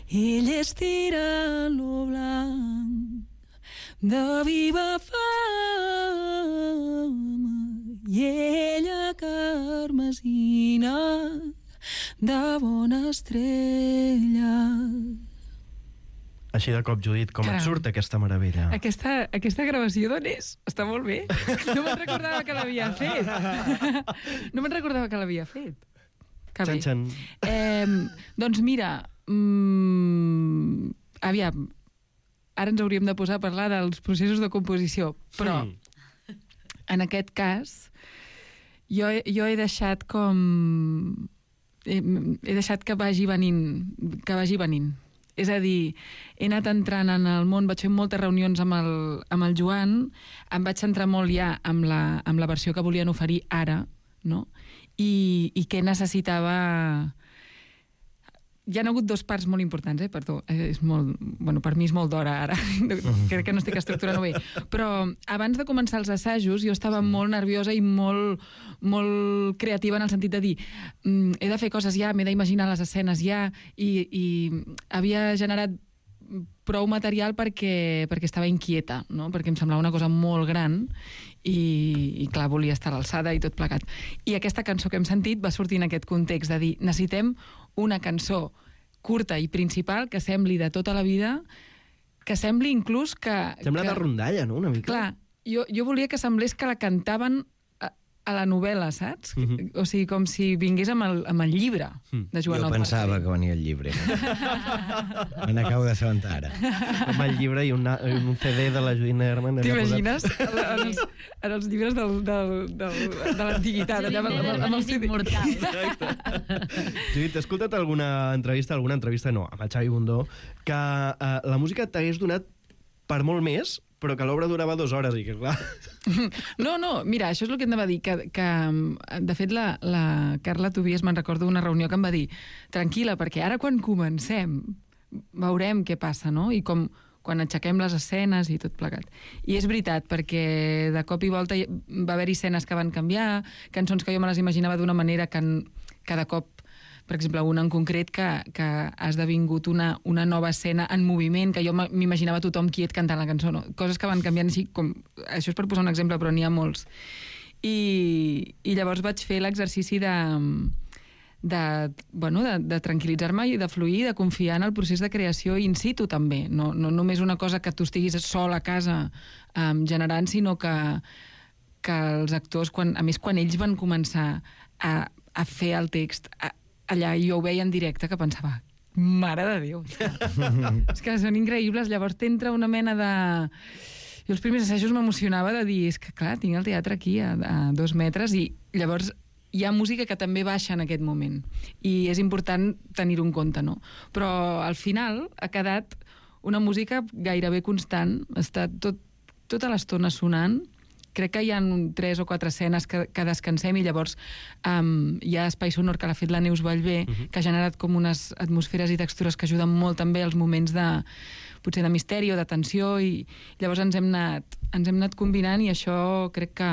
Ell és tirant-lo blanc de viva fama i ella carmesina de bona estrella. Així de cop, Judit, com Caram. et surt aquesta meravella? Aquesta, aquesta gravació d'on és? Està molt bé. No me'n recordava que l'havia fet. No me'n recordava que l'havia fet. Que bé. Xan, xan. Eh, doncs mira, mmm, aviam, ara ens hauríem de posar a parlar dels processos de composició, però mm. en aquest cas jo, jo he deixat com... He, he deixat que vagi venint, que vagi venint. És a dir, he anat entrant en el món, vaig fer moltes reunions amb el, amb el Joan, em vaig centrar molt ja amb la, amb la versió que volien oferir ara, no? I, i què necessitava... Hi ha hagut dos parts molt importants, eh? Perdó, és molt... Bueno, per mi és molt d'hora ara, crec que no estic estructurant bé, però abans de començar els assajos jo estava molt nerviosa i molt, molt creativa en el sentit de dir mm, he de fer coses ja, m'he d'imaginar les escenes ja, i, i havia generat prou material perquè, perquè estava inquieta, no? Perquè em semblava una cosa molt gran i, i clar, volia estar a l'alçada i tot plegat. I aquesta cançó que hem sentit va sortir en aquest context de dir, necessitem una cançó curta i principal que sembli de tota la vida, que sembli inclús que... Sembla que... de rondalla, no?, una mica. Clar, jo, jo volia que semblés que la cantaven a, a la novel·la, saps? Uh -huh. O sigui, com si vingués amb el, amb el llibre de Joan Jo Alpart. pensava que venia el llibre. Me n'acabo d'assabentar ara. Amb el llibre i una, un C D de la Judith Nederman. T'imagines? En, els, en els llibres del, del, del, de l'antiguitat. Allà amb, amb, amb el C D. Judit, t'he escoltat alguna entrevista, alguna entrevista no, amb el Xavi Bundó, que eh, la música t'hagués donat per molt més, però que l'obra durava dues hores i que, clar... No, no, mira, això és el que em va dir, que, que de fet la, la Carla Tobias me'n recordo una reunió que em va dir tranquil·la, perquè ara quan comencem veurem què passa, no? I com quan aixequem les escenes i tot plegat. I és veritat, perquè de cop i volta va haver-hi escenes que van canviar, cançons que jo me les imaginava d'una manera que en, cada cop, per exemple, una en concret que, que ha esdevingut una, una nova escena en moviment, que jo m'imaginava tothom quiet cantant la cançó, no? Coses que van canviant així, com... Això és per posar un exemple, però n'hi ha molts. I, i llavors vaig fer l'exercici de, de, bueno, de, de tranquil·litzar-me i de fluir, de confiar en el procés de creació in situ també, no, no només una cosa que tu estiguis sol a casa um, generant, sinó que, que els actors, quan, a més quan ells van començar a, a fer el text, a, allà jo ho veia en directe que pensava, mare de Déu, és que són increïbles, llavors t'entra una mena de... Jo els primers assajos m'emocionava de dir, és que clar, tinc el teatre aquí a, a dos metres i llavors hi ha música que també baixa en aquest moment i és important tenir-ho en compte, no? Però al final ha quedat una música gairebé constant, està tot, tota l'estona sonant. Crec que hi ha tres o quatre escenes que, que descansem i llavors um, hi ha espai sonor que l'ha fet la Neus Vallvé, uh-huh. que ha generat com unes atmosferes i textures que ajuden molt també als moments de, potser de misteri o de tensió i llavors ens hem anat, ens hem anat combinant i això crec que,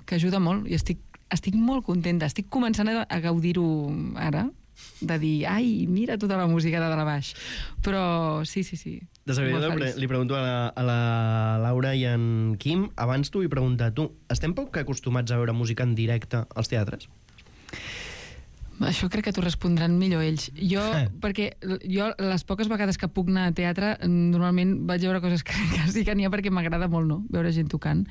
que ajuda molt i estic, estic molt contenta, estic començant a, a gaudir-ho ara de dir, ai, mira tota la música de dalt a baix. Però sí, sí, sí. De seguida pre li pregunto a la, a la Laura i en Quim. Abans t'ho vull preguntar, tu, estem poc acostumats a veure música en directe als teatres? Això crec que t'ho respondran millor ells. Jo, eh. perquè jo les poques vegades que puc anar a teatre, normalment vaig veure coses que, que sí que n'hi ha perquè m'agrada molt, no?, veure gent tocant.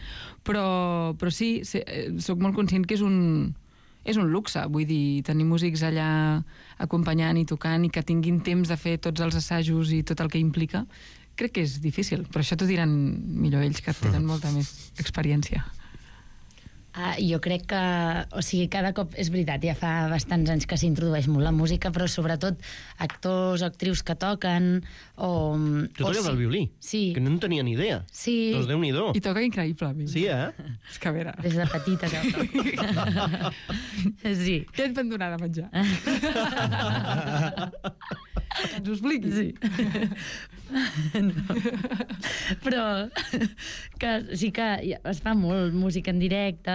Però, però sí, sé, soc molt conscient que és un, és un luxe, vull dir, tenir músics allà acompanyant i tocant i que tinguin temps de fer tots els assajos i tot el que implica. Crec que és difícil, però això t'ho diran millor ells, que tenen molta més experiència. Uh, jo crec que, o sigui, cada cop, és veritat, ja fa bastants anys que s'introdueix molt la música, però sobretot actors o actrius que toquen, o... Tu toques sí. el violí? Sí. Que no en tenia ni idea. Sí. Doncs Déu-n'hi-do. I toca increïblement. Sí, eh? És que a veure... Des de petita que el toco. Sí. Què et van donar de menjar? Ens ho expliquis. Sí. No. Però que sí que es fa molt música en directe,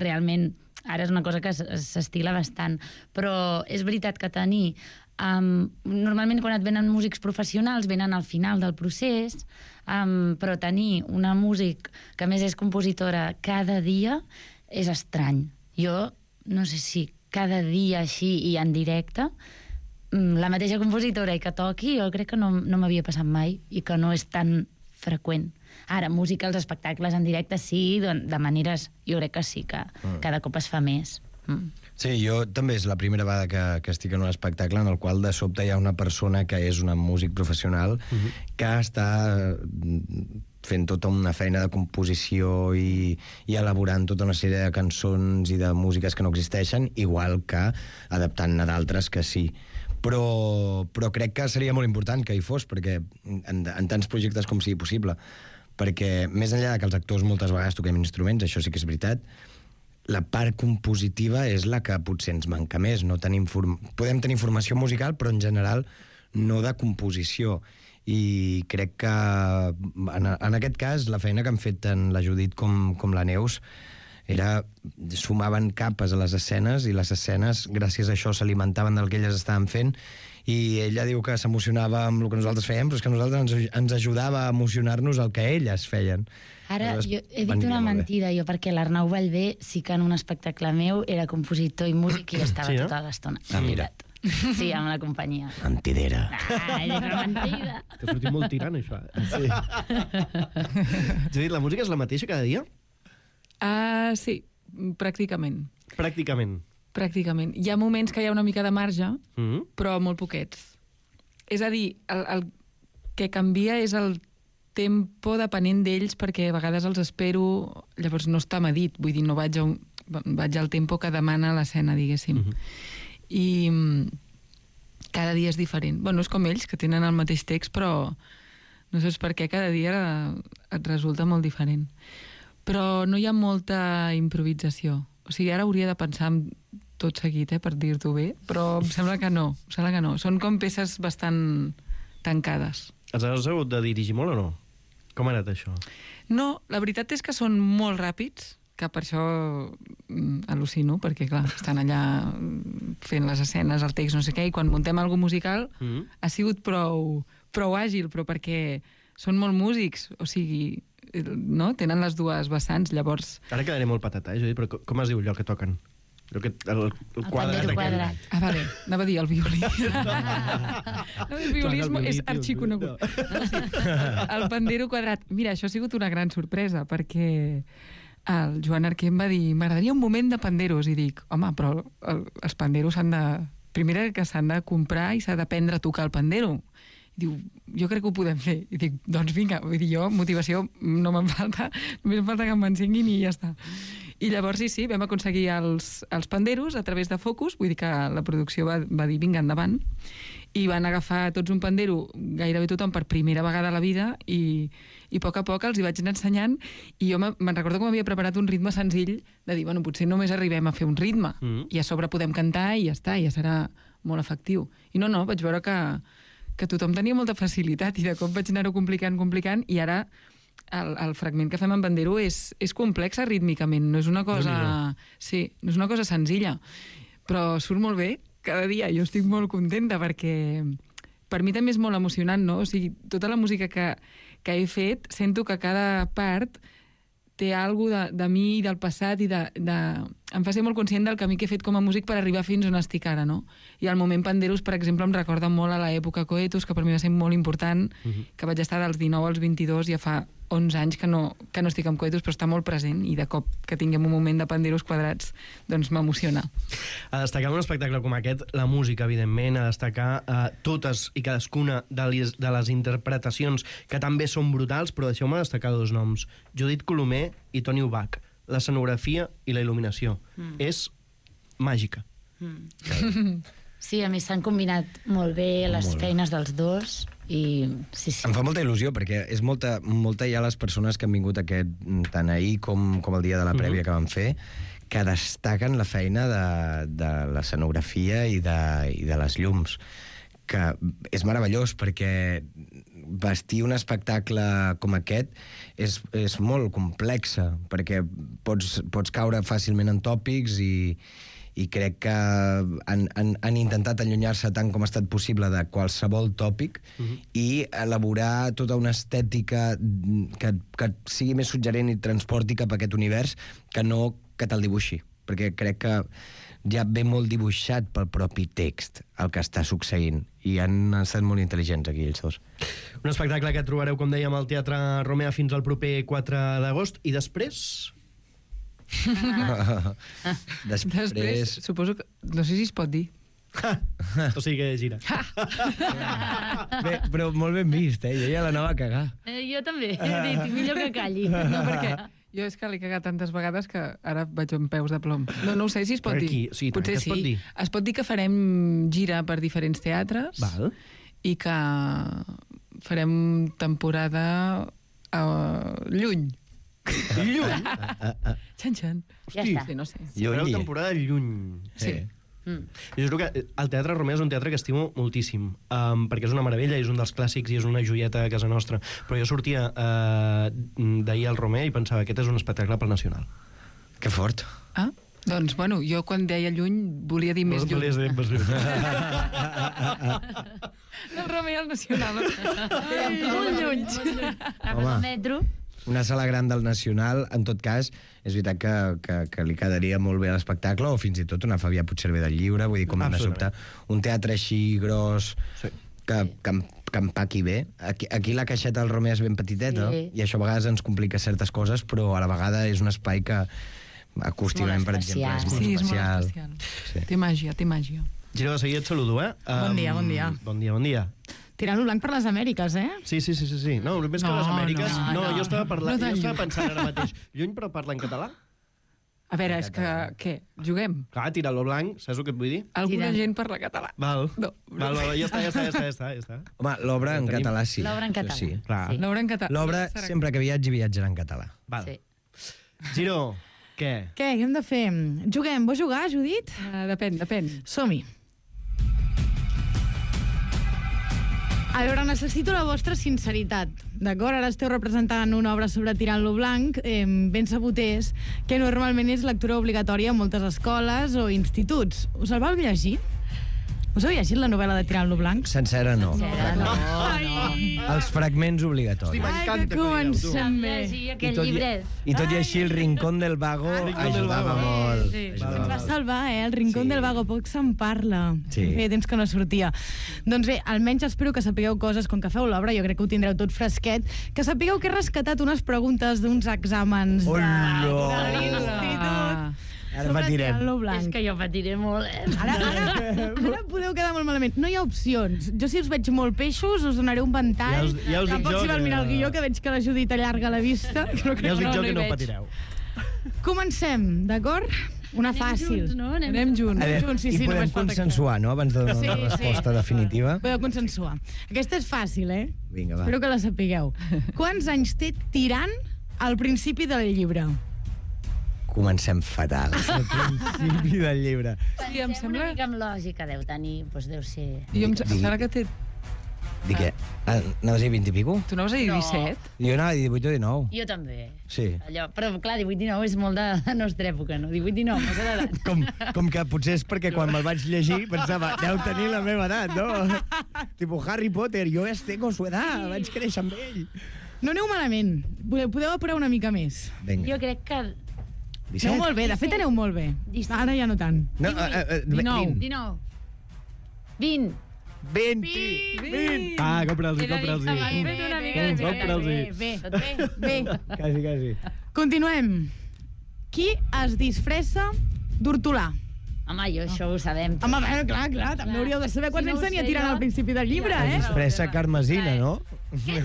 realment ara és una cosa que s'estila bastant, però és veritat que tenir um, normalment quan et venen músics professionals venen al final del procés, um, però tenir una músic que a més és compositora cada dia és estrany. Jo no sé si cada dia així i en directe la mateixa compositora i que toqui, jo crec que no, no m'havia passat mai i que no és tan freqüent. Ara, música als espectacles en directe sí, de maneres, jo crec que sí, que mm. cada cop es fa més. Mm. Sí, jo també és la primera vegada que, que estic en un espectacle en el qual de sobte hi ha una persona que és una músic professional mm-hmm. que està fent tota una feina de composició i, i elaborant tota una sèrie de cançons i de músiques que no existeixen, igual que adaptant-ne d'altres que sí. Però, però crec que seria molt important que hi fos, perquè en, en tants projectes com sigui possible, perquè més enllà que els actors moltes vegades toquem instruments, això sí que és veritat, la part compositiva és la que potser ens manca més. No tenim form... Podem tenir formació musical, però en general no de composició. I crec que en, en aquest cas la feina que han fet tant la Judit com, com la Neus era, sumaven capes a les escenes i les escenes, gràcies a això, s'alimentaven del que elles estaven fent i ella diu que s'emocionava amb el que nosaltres fèiem, però és que nosaltres ens, ens ajudava a emocionar-nos el que elles feien. Ara, Aleshores, jo he dit una mentida, jo, perquè l'Arnau Vallvé sí que en un espectacle meu era compositor i músic i estava sí, no? tota l'estona. Ah, mira. Sí, amb la companyia. Mentidera. Ah, és una mentida. T'ha sortit molt tirant, això. Sí. Judit, la música és la mateixa cada dia? Uh, sí, pràcticament. Pràcticament? Pràcticament. Hi ha moments que hi ha una mica de marge, mm-hmm. però molt poquets. És a dir, el, el que canvia és el tempo depenent d'ells, perquè a vegades els espero, llavors no està medit, vull dir, no vaig, a un, vaig al tempo que demana l'escena, diguéssim. Mm-hmm. I cada dia és diferent. Bueno, és com ells, que tenen el mateix text, però no saps per què cada dia et resulta molt diferent. Però no hi ha molta improvisació. O sigui, ara hauria de pensar en tot seguit, eh, per dir-t'ho bé, però em sembla que no, em sembla que no. Són com peces bastant tancades. Els has hagut de dirigir molt o no? Com ha anat això? No, la veritat és que són molt ràpids, que per això mm, al·lucino, perquè, clar, estan allà fent les escenes, el text, no sé què, i quan muntem alguna musical mm-hmm. ha sigut prou, prou àgil, però perquè són molt músics, o sigui... no? Tenen les dues vessants, llavors... Ara quedaré molt patata, eh, Judit, però com es diu allò que toquen? El, que, el, el, el quadrat. El quadrat. Ah, vale, anava a dir el violí. No, el violisme és arxiconegut. El pandero quadrat. Mira, això ha sigut una gran sorpresa, perquè el Joan Arquer em va dir m'agradaria un moment de panderos, i dic, home, però el, els panderos s'han de... Primera que s'han de comprar i s'ha d'aprendre a tocar el pandero. Diu, jo crec que ho podem fer. I dic, doncs vinga, vull dir, jo, motivació no me'n falta, només em falta que em mancenguin i ja està. I llavors, sí, sí, vam aconseguir els, els panderos a través de Focus, vull dir que la producció va, va dir, vinga, endavant, i van agafar tots un pandero, gairebé tothom per primera vegada a la vida, i, i a poc a poc els hi vaig anar ensenyant, i jo me'n recordo que m'havia preparat un ritme senzill, de dir, bueno, potser només arribem a fer un ritme, mm. i a sobre podem cantar i ja està, ja serà molt efectiu. I no, no, vaig veure que que tothom tenia molta facilitat i de cop vaig anar-ho complicant, complicant, i ara el, el fragment que fem en Bandero és, és complexa rítmicament, no és una cosa... No, sí, no és una cosa senzilla, però surt molt bé, cada dia. Jo estic molt contenta perquè per mi també és molt emocionant, no? O sigui, tota la música que, que he fet, sento que cada part té alguna de, de mi i del passat i de, de... em fa ser molt conscient del camí que he fet com a músic per arribar fins on estic ara, no? I el moment Panderos, per exemple, em recorda molt a l'època Coetus, que per mi va ser molt important, uh-huh. que vaig estar dels dinou als vint-i-dos, ja fa onze anys que no, que no estic amb Coetus, però està molt present, i de cop que tinguem un moment de Panderos quadrats, doncs m'emociona. A destacar un espectacle com aquest, la música, evidentment, a destacar eh, totes i cadascuna de les, de les interpretacions, que també són brutals, però deixeu-me destacar dos noms, Judit Colomer i Toni Ubach. L'escenografia i la il·luminació. Mm. És màgica. Mm. Sí, a mi s'han combinat molt bé les molt feines dels dos i sí, sí. Em fa molta il·lusió perquè és molta, molta ja les persones que han vingut aquest, tant ahir com, com el dia de la prèvia mm-hmm. que vam fer, que destaquen la feina de, de l'escenografia i de, i de les llums, que és meravellós perquè vestir un espectacle com aquest és, és molt complexa, perquè pots, pots caure fàcilment en tòpics i, i crec que han, han, han intentat allunyar-se tant com ha estat possible de qualsevol tòpic uh-huh. i elaborar tota una estètica que, que sigui més suggerent i transporti cap a aquest univers que no que te'l dibuixi, perquè crec que ja ve molt dibuixat pel propi text el que està succeint i han estat molt intel·ligents aquí ells dos. Un espectacle que trobareu, com dèiem, al Teatre Romea fins al proper quatre d'agost i després... després... Després, suposo que... No sé si es pot dir. O sigui que gira. Bé, però molt ben vist, eh? Jo ja l'anava a cagar. Eh, jo també, he dit, millor que calli. No, perquè jo és que l'he cagat tantes vegades que ara vaig amb peus de plom. No, no ho sé si es pot per dir. Aquí, sí, potser sí. Es pot dir? Es pot dir que farem gira per diferents teatres. Val. I que farem temporada a lluny. Lluny? Xan, xan. Ja està. Sí, no sé. Fareu temporada lluny. Sí. Mm. Jo juro que el Teatre Romea és un teatre que estimo moltíssim, um, perquè és una meravella, és un dels clàssics i és una joieta a casa nostra, però jo sortia uh, d'ahir al Romea i pensava aquest és un espectacle pel Nacional. Que fort. Ah, doncs, bueno, jo quan deia lluny volia dir més lluny. Volies dir més lluny. El Romea al Nacional. Ai, molt lluny. Home, el metro... Una sala gran del Nacional, en tot cas, és veritat que, que, que li quedaria molt bé a l'espectacle, o fins i tot una Fabià Puigcerver del Lliure, vull dir, com de sobte, un teatre així gros, sí. que, que, que empaqui bé. Aquí, aquí la caixeta del Romea és ben petiteta, sí. I això a vegades ens complica certes coses, però a la vegada és un espai que acústicament, per exemple, és molt sí, especial. És molt especial. Sí. Té màgia, té màgia. Giro, de seguida et saludo, eh? Bon um, dia, bon dia. Bon dia, bon dia. Tirant-lo blanc per les Amèriques, eh? Sí, sí, sí, sí, sí. No, més no, que les Amèriques... No, no, no. jo estava, parlant, no jo estava pensant ara mateix. Lluny, però parla en català? A veure, és que... Què? Juguem? Clar, tirar-lo blanc, saps el que et vull dir? Alguna Tira. gent parla català. Val. No. Val, val, ja està, ja està, ja està, ja està. Ja està. Home, l'obra en català sí. L'obra en català. Sí, clar. Sí. L'obra en català. L'obra, sempre que viatgi, viatjarà en català. Val. Sí. Giro, què? Què, què hem de fer? Juguem, vols jugar, Judit? Uh, depèn, depèn. Som-hi. A veure, necessito la vostra sinceritat, d'acord? Ara esteu representant una obra sobre Tirant-lo blanc, eh, ben sabut és que normalment és lectura obligatòria a moltes escoles o instituts. Us el vau llegir? Us heu llegit la novel·la de Tirant-lo blanc? Sencera no. Sencera no, no. Els fragments obligatoris. Ai, que comencem bé. Aquell I tot, llibret. I tot i així el Rincón del Vago ajudava molt. Sí. Ens va salvar, eh? El Rincón Sí. del Vago, poc se'n parla. Sí. Feia temps que no sortia. Doncs bé, almenys espero que sapigueu coses, com que feu l'obra, jo crec que ho tindreu tot fresquet, que sapigueu que he rescatat unes preguntes d'uns exàmens de, Hola. de l'institut. Ara patirem. Tirant-lo blanc. És que jo patiré molt, eh? Ara, ara, ara podeu quedar molt malament. No hi ha opcions. Jo, si us veig molt peixos, us donaré un ventall. Ja us, ja us dic Tampoc jo si val que... mirar el guió, que veig que la Judit allarga la vista. Ja us dic no, jo no que hi no veig. patireu. Comencem, d'acord? Una Anem fàcil. junts, no? Anem, Anem junts. A veure, junts, sí, I sí, podem només falta consensuar, no?, abans de donar Sí, una sí. resposta definitiva. Podeu consensuar. Aquesta és fàcil, eh? Vinga, va. Espero que la sapigueu. Quants anys té Tirant al principi del llibre? Comencem fatal. Al principi del llibre. Sí, em Pensem sembla... una mica amb lògica, deu tenir, doncs deu ser... Jo em sembla que té Dic que... Ah, anaves a dir vint i pico? Tu anaves a dir disset? Jo anava a dir divuit o dinou. Jo també. Sí. Allò, però, clar, divuit dinou és molt de la nostra època, no? divuit dinou, no sé d'edat. Com, com que potser és perquè quan me'l vaig llegir pensava, deu tenir la meva edat, no? Tipo Harry Potter, jo ja tengo su edat, vaig créixer amb ell. No aneu malament. Podeu, podeu apurar una mica més. Vinga. Jo crec que... Aneu molt bé, de fet aneu molt bé. Ara ja no tant. No, uh, uh, dinou. dinou. vint. vint. vint. Ah, compra'ls-hi, compra'ls-hi. Hem fet una mica de Compra'ls-hi. Bé, bé, bé. Quasi, quasi. Continuem. Qui es disfressa d'hortolà? Home, jo això ho sabem. Home, bé, clar, clar, també hauríeu de saber quants Si no anys ho tenia sé tirant jo- al principi del llibre, eh? Disfressa carmesina, no? Què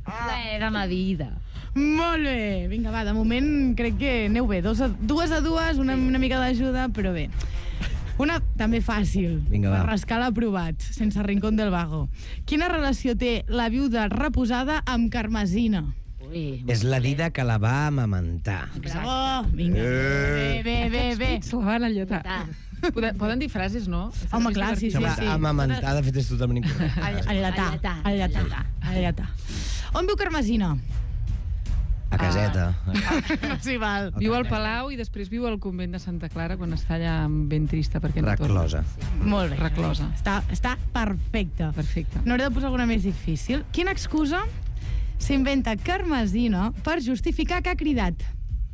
La era ma vida. Molt bé. Vinga, va, de moment crec que aneu bé. Dos a, dues a dues, una, una mica d'ajuda, però bé. Una també fàcil, Vinga, va. per rascar l'aprovat, sense rincón del vago. Quina relació té la viuda reposada amb Carmesina? Ui. És la dida que la va amamentar. Bravo! Vinga, bé, bé, bé, bé. Se la van alletar. Poden, poden dir frases, no? Home, clar, sí, sí, Home, sí. amamentar, de fet, és totalment incorrecte. Allatar, allatar, allatar. On viu Carmesina? A caseta. Sí, val. Viu al Palau i després viu al convent de Santa Clara quan està allà ben trista perquè no torna. Reclosa. Molt bé. Reclosa. Està, està perfecte. Perfecte. N'hauré de posar alguna més difícil. Quina excusa s'inventa Carmesina per justificar que ha cridat?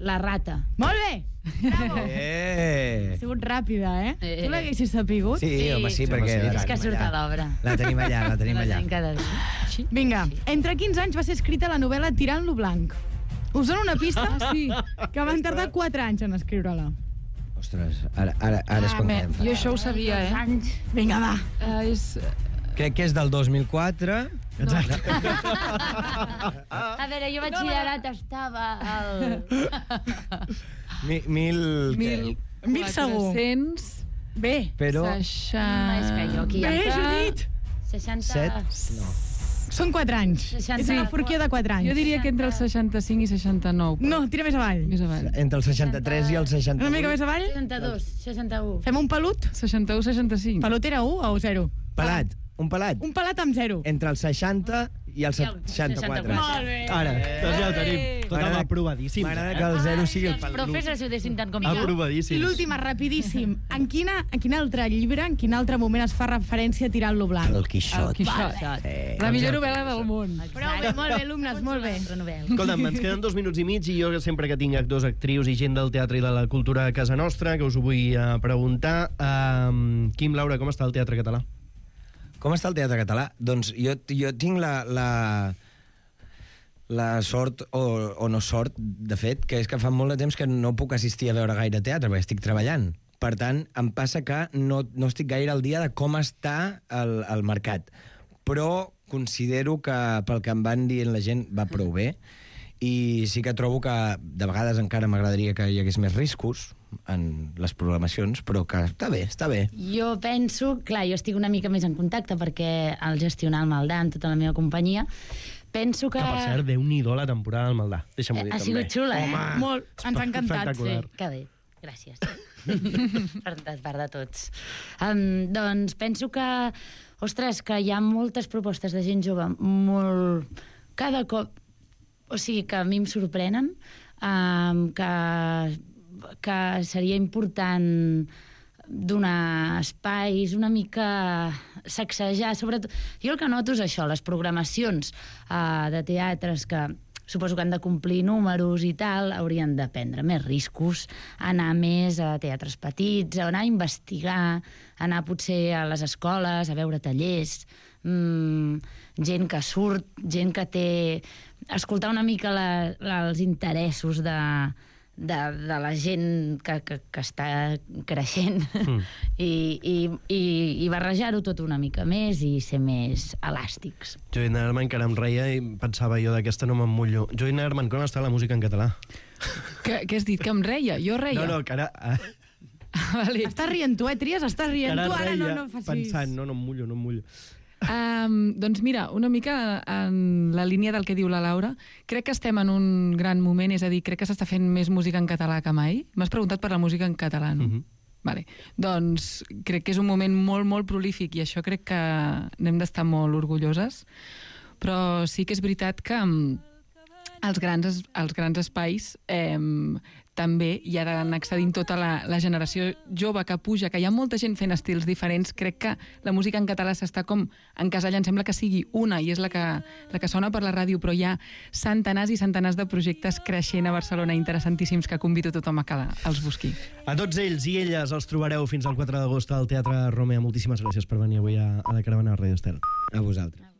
La rata. Molt bé! Bravo! Eh! Ha sigut ràpida, eh? Eh. Tu l'haguessis sapigut? Sí, home, sí, perquè... És que surt a l'obra. La tenim allà, la tenim La allà. tenim cada dia. Vinga, entre quins anys va ser escrita la novel·la Tirant-lo blanc? Us dono una pista? Ah, sí. Que van tardar quatre anys en escriure-la. Ostres, ara, ara, ara és quan Bé, quedem jo fatal. això ho sabia, eh? Vinga, va. Uh, és... Crec que és del dos mil quatre. Exacte. A veure, jo batxillerat estava al... Mi, mil... Mil... Mil segur. quatre-cents... Bé. Però... Seixanta... És que jo aquí... Bé, Judit! seixanta... Set? No. Són quatre anys. seixanta... És una forquia de quatre anys. Jo diria que entre el seixanta-cinc i seixanta-nou. No, tira més avall. Més avall. Entre el seixanta-tres i el seixanta-vuit. Una mica més avall. seixanta-dos, seixanta-u. Fem un pelut? seixanta-u, seixanta-cinc. Pelut era u o zero? Pelat, un pelat. Un pelat amb zero. Entre el seixanta i el seixanta-quatre. Molt bé. Ara, doncs ja ho tenim. Tot M'agrada- aprovadíssim. M'agrada que el zero sigui el Els pelut. profes ajudessin tant com jo. Aprovadíssim. I l'última, rapidíssim. En, quina, en quin altre llibre, en quin altre moment es fa referència a Tirant-lo blanc? El Quixot. El Quixot. Eh, La millor novel·la del món. Prou bé, molt bé, alumnes, molt bé. Escolta'm, ens queden dos minuts i mig i jo sempre que tinc actors, actrius i gent del teatre i de la cultura a casa nostra, que us ho vull uh, preguntar. Um, Quim, Laura, com està el teatre català? Com està el teatre català? Doncs jo, jo tinc la, la, la sort, o, o no sort, de fet, que és que fa molt de temps que no puc assistir a veure gaire teatre, perquè estic treballant. Per tant, em passa que no, no estic gaire al dia de com està el, el mercat. Però considero que, pel que em van dient la gent, va prou bé. I sí que trobo que de vegades encara m'agradaria que hi hagués més riscos en les programacions, però que està bé, està bé. Jo penso, clar, jo estic una mica més en contacte perquè al gestionar el Maldà amb tota la meva companyia, penso que... Que, per cert, Déu-n'hi-do la temporada del Maldà. Deixa'm-ho dir, ha també. sigut xula, eh? Home, Molt, ens ha encantat. espectacular. Sí, que bé, gràcies. per, de part de tots. Um, doncs penso que, ostres, que hi ha moltes propostes de gent jove, molt... Cada cop... O sigui, que a mi em sorprenen, um, que, que seria important donar espais, una mica sacsejar, sobretot... Jo el que noto és això, les programacions uh, de teatres que suposo que han de complir números i tal, haurien de prendre més riscos, anar més a teatres petits, anar a investigar, anar potser a les escoles, a veure tallers, mmm, gent que surt, gent que té... escoltar una mica la, la, els interessos de, de, de la gent que, que, que està creixent mm. I, i, i, i barrejar-ho tot una mica més i ser més elàstics. Joina Herman encara em reia i pensava jo d'aquesta no m'emmullo. Joina Herman, com està la música en català? Què has dit? Que em reia? Jo reia? No, no, que ara... Ah, vale. Estàs rient tu, eh, Tries? Estàs rient ara tu, ara reia no, no facis... pensant, no, no em mullo, no em mullo. Um, doncs mira, una mica en la línia del que diu la Laura, crec que estem en un gran moment, és a dir, crec que s'està fent més música en català que mai. M'has preguntat per la música en català, no? Mm-hmm. Vale. Doncs crec que és un moment molt, molt prolífic i això crec que n'hem d'estar molt orgulloses, però sí que és veritat que els grans, els grans espais eh, també hi ha d'anar accedint tota la, la generació jove que puja, que hi ha molta gent fent estils diferents. Crec que la música en català s'està com encasellant, sembla que sigui una i és la que, la que sona per la ràdio, però hi ha centenars i centenars de projectes creixent a Barcelona interessantíssims que convido tothom a que els busqui. A tots ells i elles els trobareu fins al quatre d'agost al Teatre Romea. Moltíssimes gràcies per venir avui a, a la caravana de Ràdio Estel. A vosaltres.